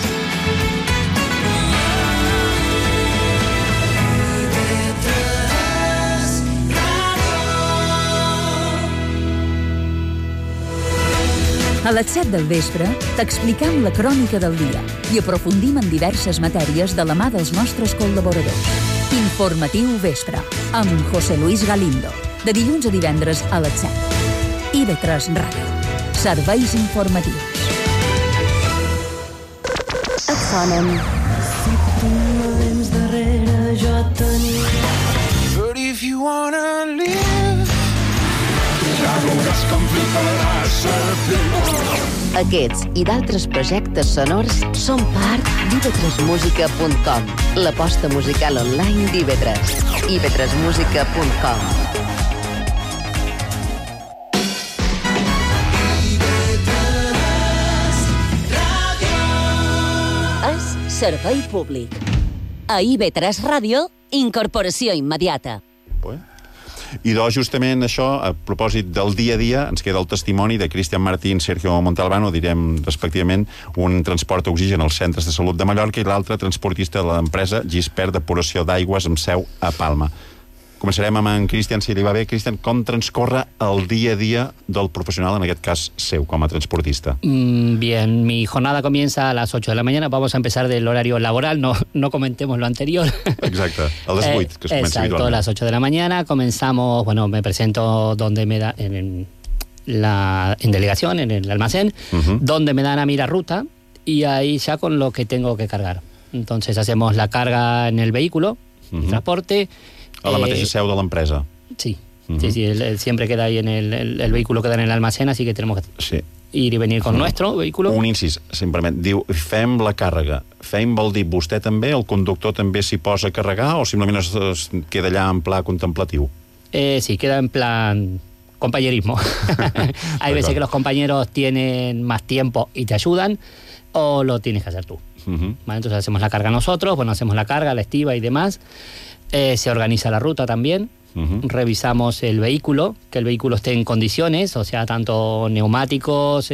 A les 7 del vespre t'explicam la crònica del dia i aprofundim en diverses matèries de la mà dels nostres col·laboradors. Informatiu Vespre, amb José Luis Galindo, de dilluns a divendres a les 7. IB3 Ràdio. Serveis informatius. Et sonen. Si temps darrere jo tenia. But if you wanna live, ja veuràs com fliparàs a Aquests i d'altres projectes sonors són part d'ib3musica.com, l'aposta musical online d'IB3. ib3musica.com. És servei públic. A IB3 Ràdio, incorporació immediata. I justament això, a propòsit del dia a dia, ens queda el testimoni de Cristian Martín, Sergio Montalbano, direm respectivament, un transport d'oxigen als centres de salut de Mallorca i l'altre transportista de l'empresa Gispert Depuració d'Aigües amb seu a Palma. Començarem amb en Cristian, si li va bé. Cristian, com transcorre el dia a dia del profesional, en aquest cas seu, com a transportista? Bien, mi jornada comienza a las 8 de la mañana. Vamos a empezar del horario laboral, no comentemos lo anterior. Exacte, a les 8, que es comença exacto, habitualment. A las 8 de la mañana comenzamos, me presento donde me da, en delegación, en el almacén, donde me dan a mí la ruta y ahí ya con lo que tengo que cargar. Entonces hacemos la carga en el vehículo, el transporte. A la mateixa seu de l'empresa. Sí, sí, siempre queda ahí en el vehículo, queda en el almacén, así que tenemos que ir y venir con nuestro vehículo. Un incís, simplement, diu, fem la càrrega. Fem vol dir vostè també, el conductor també s'hi posa a carregar o simplement es queda allà en pla contemplatiu? Sí, queda en plan compañerismo. Hay veces que los compañeros tienen más tiempo y te ayudan, o lo tienes que hacer tú. ¿Vale? Entonces hacemos la carga nosotros, hacemos la carga, la estiva y demás. Se organiza la ruta también. Revisamos el vehículo, que el vehículo esté en condiciones, o sea, tanto neumáticos,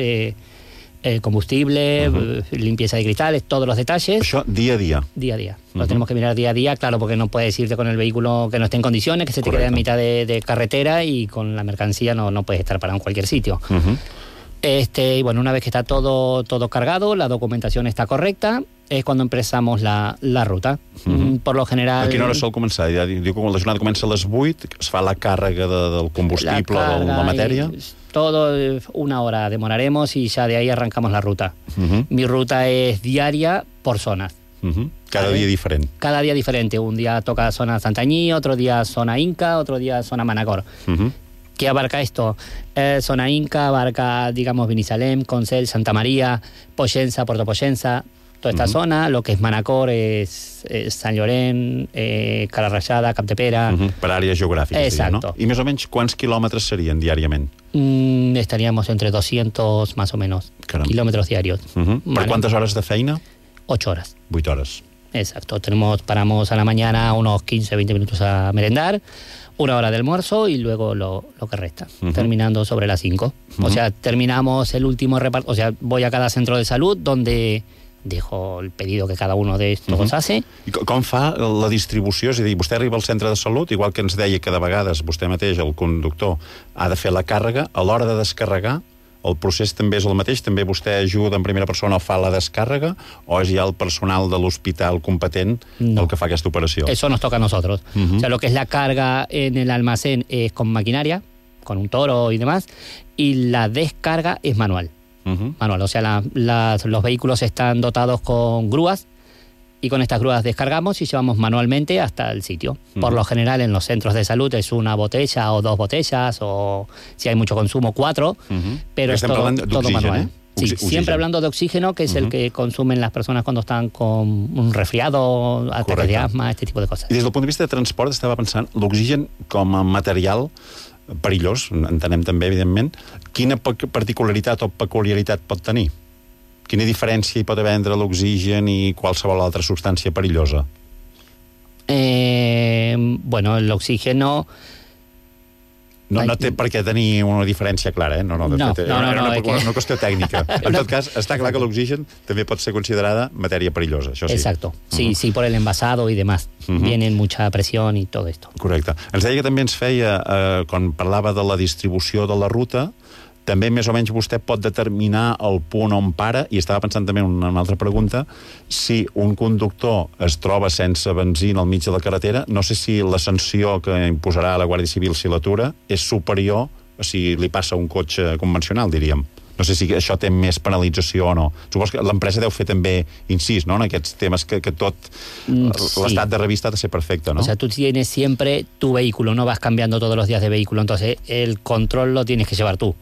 combustible, limpieza de cristales, todos los detalles. Això dia a dia. Día a día. Lo tenemos que mirar día a día, claro, porque no puedes irte con el vehículo que no esté en condiciones, que se te quede en mitad de carretera y con la mercancía no puedes estar parado en cualquier sitio. Y bueno, una vez que está todo cargado, la documentación está correcta, és quan empezamos la ruta. Per lo general... A quina hora sol començar? Diu que la jornada comença a les 8, es fa la càrrega del combustible, de la matèria... Todo, una hora demoraremos y ya de ahí arrancamos la ruta. Mi ruta es diaria por zonas. Cada día diferente. Cada día diferente. Un día toca zona Santanyí, otro día zona Inca, otro día zona Manacor. ¿Qué abarca esto? Zona Inca abarca, digamos, Binissalem, Consell, Santa María, Pollença, Puerto Pollença, toda esta zona. Lo que es Manacor es Sant Llorenç, Cala Rajada, Capdepera. Per àrees geogràfiques. Exacto. No? I més o menys quants quilòmetres serien diàriament? Estaríamos entre 200 más o menos kilómetros diarios. ¿Per cuántas horas de feina? 8 horas. 8 horas. Exacto. Paramos a la mañana unos 15-20 minutos a merendar, 1 hora de almuerzo y luego lo que resta, terminando sobre las 5. O sea, terminamos el último reparto. O sea, voy a cada centro de salud donde dejo el pedido que cada uno de estos hace. I com fa la distribució? És a dir, vostè arriba al centre de salut, igual que ens deia que de vegades vostè mateix, el conductor, ha de fer la càrrega, a l'hora de descarregar, el procés també és el mateix? També vostè ajuda en primera persona o fa la descàrrega? O és ja el personal de l'hospital competent el que fa aquesta operació? Eso nos toca a nosotros. O sea, lo que es la carga en el almacén es con maquinaria, con un toro y demás, y la descarga es manual. Manual, o sea, los vehículos están dotados con grúas y con estas grúas descargamos y llevamos manualmente hasta el sitio. Por lo general en los centros de salud es una botella o 2 botellas o si hay mucho consumo 4, pero es todo manual. Sí, siempre hablando de oxígeno, que es el que consumen las personas cuando están con un resfriado, ataques de asma, este tipo de cosas. I des del punt de vista de transport estava pensant, l'oxigen com a material perillós, entenem també, evidentment, quina particularitat o peculiaritat pot tenir? Quina diferència hi pot haver entre l'oxigen i qualsevol altra substància perillosa? Bueno, el oxígeno... No té per què tenir una diferència clara, no, una qüestió tècnica. En tot cas, està clar que l'oxigen també pot ser considerada matèria perillosa, això sí. Exacto, sí, por el envasado y demás. Vienen mucha presión y todo esto. Correcte. Ens deia que també ens feia, quan parlava de la distribució de la ruta, també més o menys vostè pot determinar el punt on para, i estava pensant també en una altra pregunta, si un conductor es troba sense benzina al mig de la carretera, no sé si la sanció que imposarà la Guàrdia Civil si l'atura és superior a si li passa un cotxe convencional, diríem. No sé si això té més penalització o no. Supos que l'empresa deu fer també incís, ¿no?, en aquests temes que tot l'estat de revista ha de ser perfecte, ¿no? O sea, tú tienes siempre tu vehículo, no vas cambiando todos los días de vehículo, entonces el control lo tienes que llevar tú.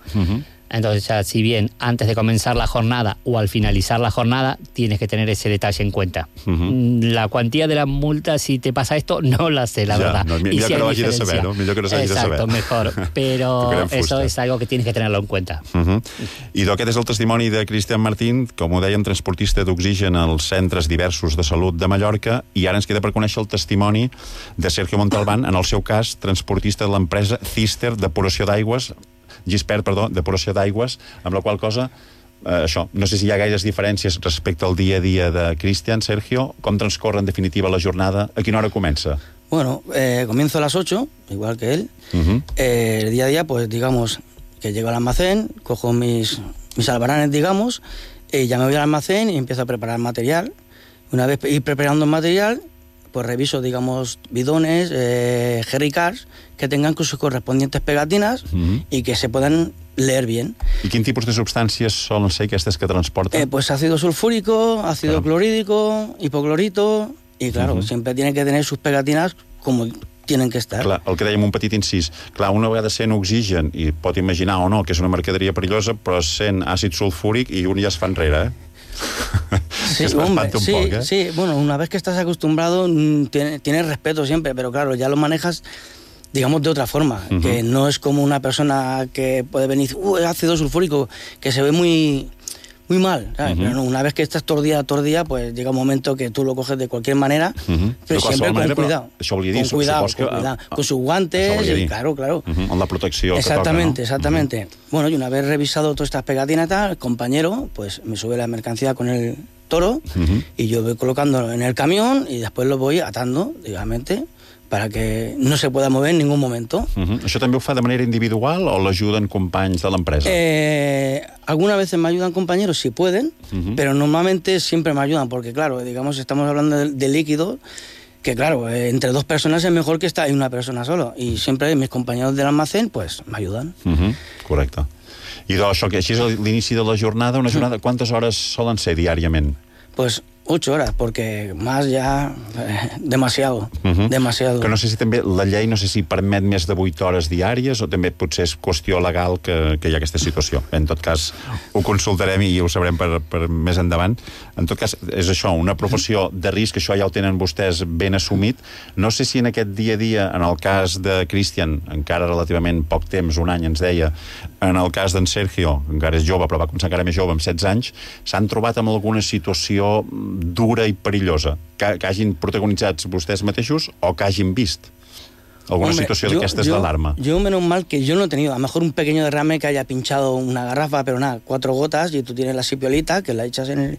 Entonces, o sea, si bien antes de comenzar la jornada o al finalizar la jornada, tienes que tener ese detalle en cuenta. La cuantía de la multa, si te pasa esto, no la sé, la verdad. No, millor si que no hagi de saber, no? Millor que no s'hagi de saber. Exacto, mejor. Pero eso es algo que tienes que tenerlo en cuenta. I aquest és el testimoni de Cristian Martín, com ho dèiem, transportista d'oxigen als centres diversos de salut de Mallorca, i ara ens queda per conèixer el testimoni de Sergio Montalbán, en el seu cas, transportista de l'empresa Gispert, depuració d'aigües, amb la qual cosa, això, no sé si hi ha gaires diferències respecte al dia a dia de Cristian. Sergio, com transcorre en definitiva la jornada? A quina hora comença? Bueno, comienzo a las 8, igual que él. El día a día, pues digamos que llego al almacén, cojo mis albaranes, digamos, ya me voy al almacén y empiezo a preparar material. Una vez ir preparando el material, pues reviso, digamos, bidones, jerrycars, que tengan sus correspondientes pegatinas y que se puedan leer bien. I quin tipus de substàncies solen ser aquestes que transporten? Pues ácido sulfúrico, ácido clorhídrico, hipoclorito, y claro, siempre tienen que tener sus pegatinas como tienen que estar. Clar, el que dèiem un petit incís. Clar, una vegada sent oxigen, i pot imaginar o no que és una mercaderia perillosa, però sent àcid sulfúric i un ja es fa enrere, Sí, hombre, sí, bueno, una vez que estás acostumbrado tienes respeto siempre, pero claro, ya lo manejas, digamos, de otra forma, que no es como una persona que puede venir, ácido sulfúrico, que se ve muy mal, ¿sabes? Pero no, una vez que estás todo el día, pues llega un momento que tú lo coges de cualquier manera, pero siempre con cuidado. Això volia dir, con cuidado, con sus guantes, y claro. Con la protecció que toca, ¿no? Exactamente. Bueno, y una vez revisado todas estas pegatinas, el compañero, pues me sube la mercancía con el toro y yo voy colocándolo en el camión y después lo voy atando, digamos, para que no se pueda mover en ningún momento. Això també ho fa de manera individual o l'ajuden companys de l'empresa? Algunas veces me ayudan compañeros si pueden, pero normalmente siempre me ayudan, porque claro, digamos, estamos hablando de líquidos, que claro, entre dos personas es mejor que estar una persona solo, y siempre mis compañeros del almacén pues me ayudan. Correcte. I això, que així és l'inici de la jornada, una jornada, quantes hores solen ser diàriament? Pues 8 horas, porque más ya demasiado. Que no sé si també la llei, no sé si permet més de 8 hores diàries o també potser és qüestió legal que hi ha aquesta situació. En tot cas, ho consultarem i ho sabrem per més endavant. En tot cas, és això, una professió de risc, això ja ho tenen vostès ben assumit. No sé si en aquest dia a dia, en el cas de Cristian, encara relativament poc temps, un any ens deia, en el cas d'en Sergio, encara és jove, però va començar encara més jove, amb 16 anys, s'han trobat amb alguna situació dura i perillosa, que hagin protagonitzat vostès mateixos o que hagin vist alguna situació d'aquestes d'alarma. Yo, menos mal que yo no he tenido, a lo mejor un pequeño derrame que haya pinchado una garrafa, pero nada, 4 gotas y tú tienes la sipiolita que la echas en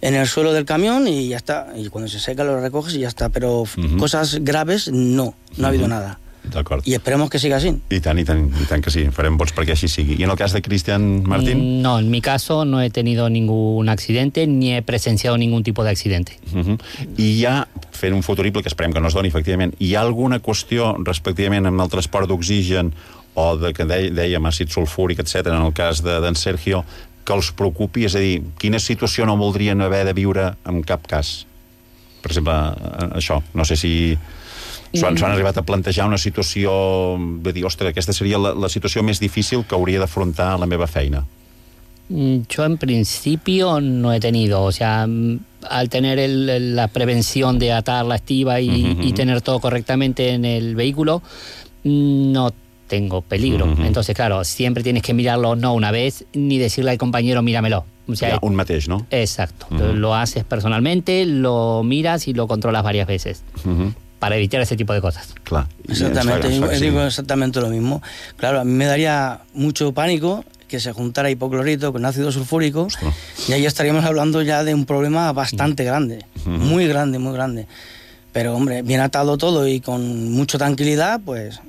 el suelo del camión y ya está, y cuando se seca lo recoges y ya está, pero cosas graves no ha habido nada. D'acord. I esperemos que siga así. I tant que sí, farem vots perquè així sigui. I en el cas de Cristian Martín? No, en mi caso no he tenido ningún accidente ni he presenciado ningún tipo de accidente. I hi ha, fent un futurible que esperem que no es doni, efectivament, hi ha alguna qüestió respectivament amb el transport d'oxigen o de que dèiem àcid sulfúric, etc., en el cas d'en Sergio, que els preocupi? És a dir, quina situació no voldrien haver de viure en cap cas? Per exemple, això, no sé si s'han arribat a plantejar una situació de dir, ostres, aquesta seria la situació més difícil que hauria d'afrontar la meva feina. Yo en principio no he tenido, o sea, al tener la prevención de atar la estiba y tener todo correctamente en el vehículo, no tengo peligro. Entonces, claro, siempre tienes que mirarlo no una vez, ni decirle al compañero, míramelo. O sea, un mateix, ¿no? Exacto. Lo haces personalmente, lo miras y lo controlas varias veces. Para evitar ese tipo de cosas. Claro. Exactamente, digo exactamente lo mismo. Claro, a mí me daría mucho pánico que se juntara hipoclorito con ácido sulfúrico. Ostras. Y ahí estaríamos hablando ya de un problema bastante grande, muy grande. Pero, hombre, bien atado todo y con mucha tranquilidad, pues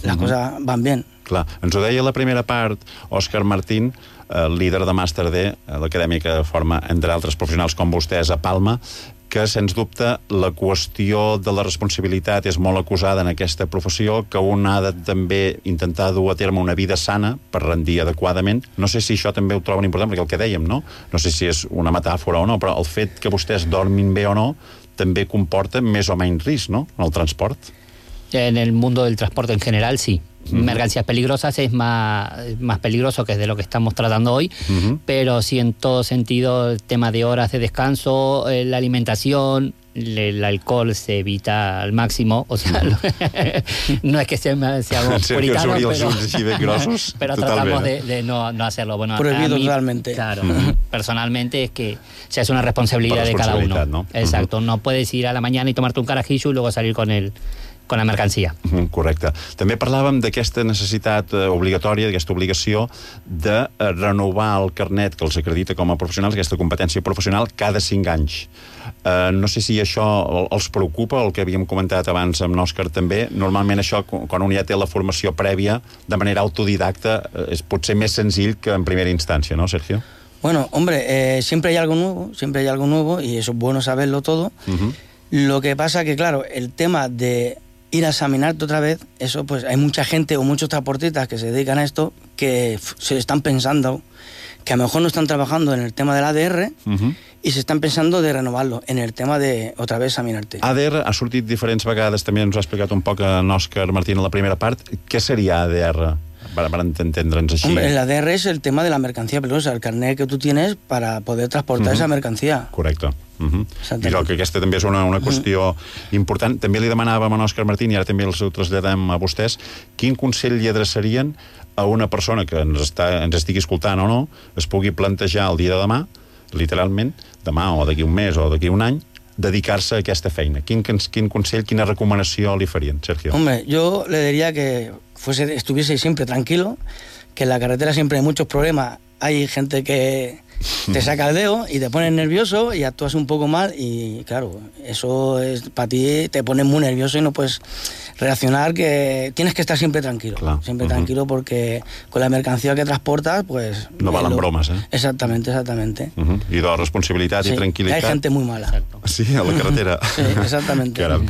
las cosas van bien. Clar, ens ho deia la primera part Òscar Martín, líder de Màster D, l'acadèmia que forma, entre altres professionals com vostès, a Palma, que, sens dubte, la qüestió de la responsabilitat és molt acusada en aquesta professió, que un ha de també intentar dur a terme una vida sana per rendir adequadament. No sé si això també ho troben important, perquè el que dèiem, no? No sé si és una metàfora o no, però el fet que vostès dormin bé o no també comporta més o menys risc, no?, en el transport. En el mundo del transporte en general, sí. Mercancías peligrosas es más peligroso, que es de lo que estamos tratando hoy, pero sí, en todo sentido, el tema de horas de descanso, la alimentación, el alcohol se evita al máximo, o sea, no es que seamos puritanos, pero tratamos de no hacerlo. Bueno, prohibido totalmente. Claro, personalmente es que es una responsabilidad de cada uno. ¿No? Exacto, no puedes ir a la mañana y tomarte un carajillo y luego salir con la mercancia. Correcte. També parlàvem d'aquesta necessitat obligatòria, d'aquesta obligació de renovar el carnet que els acredita com a professionals, aquesta competència professional, cada 5 anys. No sé si això els preocupa, el que havíem comentat abans amb l'Òscar també. Normalment això, quan un ja té la formació prèvia, de manera autodidacta, és potser més senzill que en primera instància, ¿no, Sergio? Bueno, hombre, siempre hay algo nuevo y eso es bueno saberlo todo. Lo que pasa que, claro, el tema de ir a examinarte otra vez, eso pues hay mucha gente o muchos transportistas que se dedican a esto que se están pensando que a lo mejor no están trabajando en el tema del ADR i s'estan pensando de renovar-lo en el tema de otra vez examinarte. ADR ha sortit diferents vegades, també ens ho ha explicat un poc en Òscar Martín a la primera part. Què seria ADR? Para entendre'ns així. Hombre, el ADR es el tema de la mercancía peligrosa, el carnet que tú tienes para poder transportar esa mercancía. Correcte. I que aquesta també és una qüestió important. També li demanàvem a Òscar Martín, i ara també els ho traslladem a vostès, quin consell li adreçarien a una persona que ens estigui escoltant o no, es pugui plantejar el dia de demà, literalment, demà o d'aquí un mes o d'aquí un any, dedicar-se a aquesta feina. Quin consell, quina recomanació li farien, Sergio? Hombre, yo le diría que estuviese siempre tranquilo, que en la carretera siempre hay muchos problemas, hay gente que te saca el dedo y te pones nervioso y actúas un poco mal y claro, eso es para ti, te pones muy nervioso y no puedes reaccionar, que tienes que estar siempre tranquilo, tranquilo, porque con la mercancía que transportas, pues... No valen bromes, eh? Exactamente. I de responsabilitat i tranquil·litat. Hay gente muy mala. Sí, a la carretera. Sí, exactamente. Caram.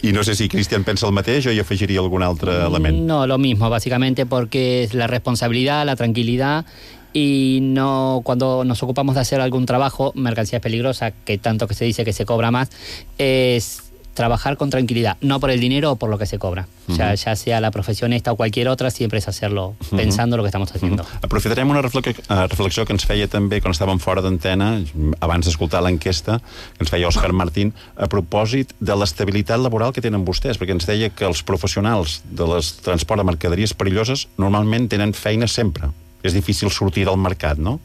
I no sé si Cristian pensa el mateix o hi afegiria algun altre element. No, lo mismo, básicamente, porque es la responsabilidad, la tranquilidad. Y no, cuando nos ocupamos de hacer algún trabajo, mercancías peligrosas, que tanto que se dice que se cobra más, es trabajar con tranquilidad, no por el dinero o por lo que se cobra. O sea, ya sea la profesión esta o cualquier otra, siempre es hacerlo pensando lo que estamos haciendo. Aprofitarem una reflexió que ens feia també quan estàvem fora d'antena, abans d'escoltar l'enquesta, que ens feia Òscar Martín, a propòsit de l'estabilitat laboral que tenen vostès, perquè ens deia que els professionals de transport de mercaderies perilloses normalment tenen feina sempre. És difícil sortir del mercat, no?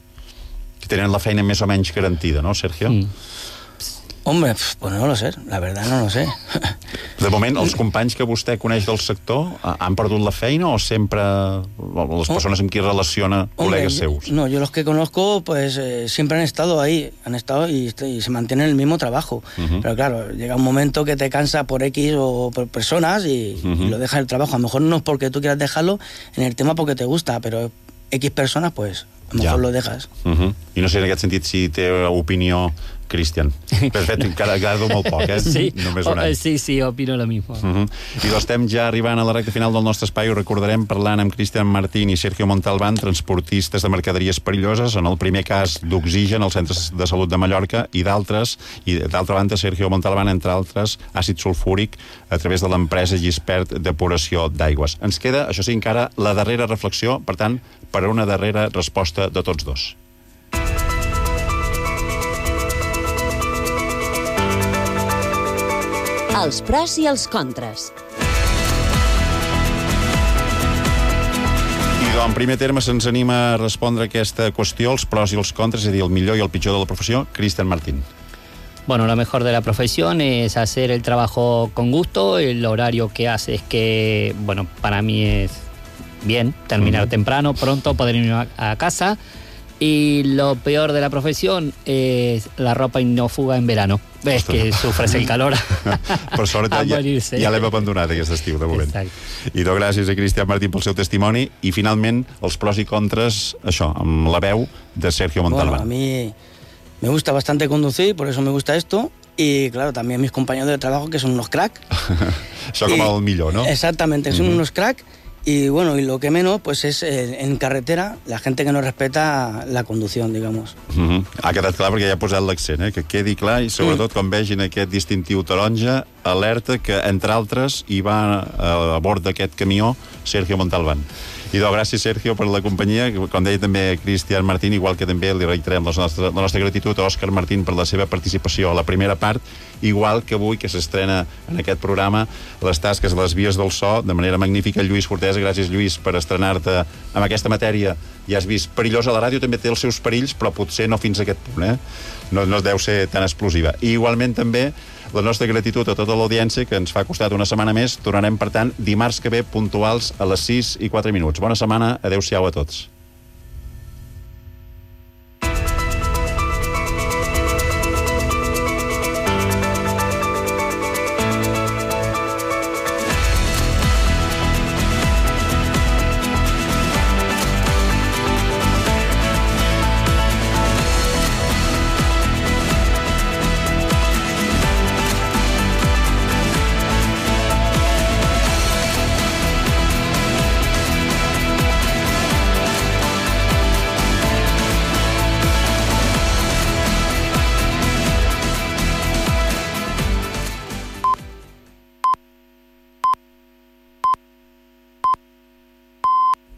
Que tenen la feina més o menys garantida, ¿no, Sergio? Hombre, pues no lo sé, la verdad no lo sé. De moment, els companys que vostè coneix del sector han perdut la feina o sempre les persones amb qui relaciona col·legues seus? No, yo los que conozco, pues siempre han estado ahí, y se mantienen el mismo trabajo. Pero claro, llega un momento que te cansa por X o por personas y lo dejas el trabajo. A lo mejor no es porque tú quieras dejarlo en el tema porque te gusta, pero X personas, pues a lo mejor lo dejas. I no sé en aquest sentit si té opinió Cristian. Perfecte, encara molt poc, eh? Sí, només un any. Sí, opino lo mismo. I estem ja arribant a la recta final del nostre espai. Ho recordarem parlant amb Cristian Martín i Sergio Montalbán, transportistes de mercaderies perilloses, en el primer cas d'Oxigen, als centres de salut de Mallorca, i d'altres, i d'altra banda Sergio Montalbán, entre altres, àcid sulfúric a través de l'empresa Gispert Depuració d'Aigües. Ens queda, això sí, encara la darrera reflexió, per tant, per a una darrera resposta de tots dos. Els pros i els contres. I en primer terme se'ns anima a respondre a aquesta qüestió, els pros i els contres, és a dir, el millor i el pitjor de la professió. Cristian Martín. Bueno, lo mejor de la profesión es hacer el trabajo con gusto. El horario que hace es que, bueno, para mí es bien terminar temprano, pronto, poder irme a casa. Y lo peor de la profesión es la ropa ignófuga en verano. Ves que sufres el calor per sort a morir-se. Ja l'hem abandonat aquest estiu, de moment. Exacte. I doncs gràcies a Cristian Martín pel seu testimoni i finalment els pros i contres, això, amb la veu de Sergio Montalbán. Bueno, a mí me gusta bastante conducir, por eso me gusta esto. Y claro, también mis compañeros de trabajo que son unos crack. Això com el millor, ¿no? Exactamente, son unos crack. Y bueno, y lo que menos, pues es en carretera, la gente que no respeta la conducción, digamos. Ha quedat clar perquè ja ha posat l'accent, que quedi clar i sobretot quan vegin aquest distintiu taronja, alerta que, entre altres, hi va a bord d'aquest camió Sergio Montalbán. I doncs, gràcies, Sergio, per la companyia. Com deia també Cristian Martín, igual que també li reiterem la nostra gratitud a Òscar Martín per la seva participació a la primera part, igual que avui, que s'estrena en aquest programa les tasques a les vies del so, de manera magnífica, Lluís Fortesa. Gràcies, Lluís, per estrenar-te amb aquesta matèria. Ja has vist, perillosa. La ràdio també té els seus perills, però potser no fins a aquest punt, No deu ser tan explosiva. I igualment també la nostra gratitud a tota l'audiència, que ens fa costat una setmana més. Tornarem, per tant, dimarts que ve, puntuals a les 6:04. Bona setmana, adeu-siau a tots.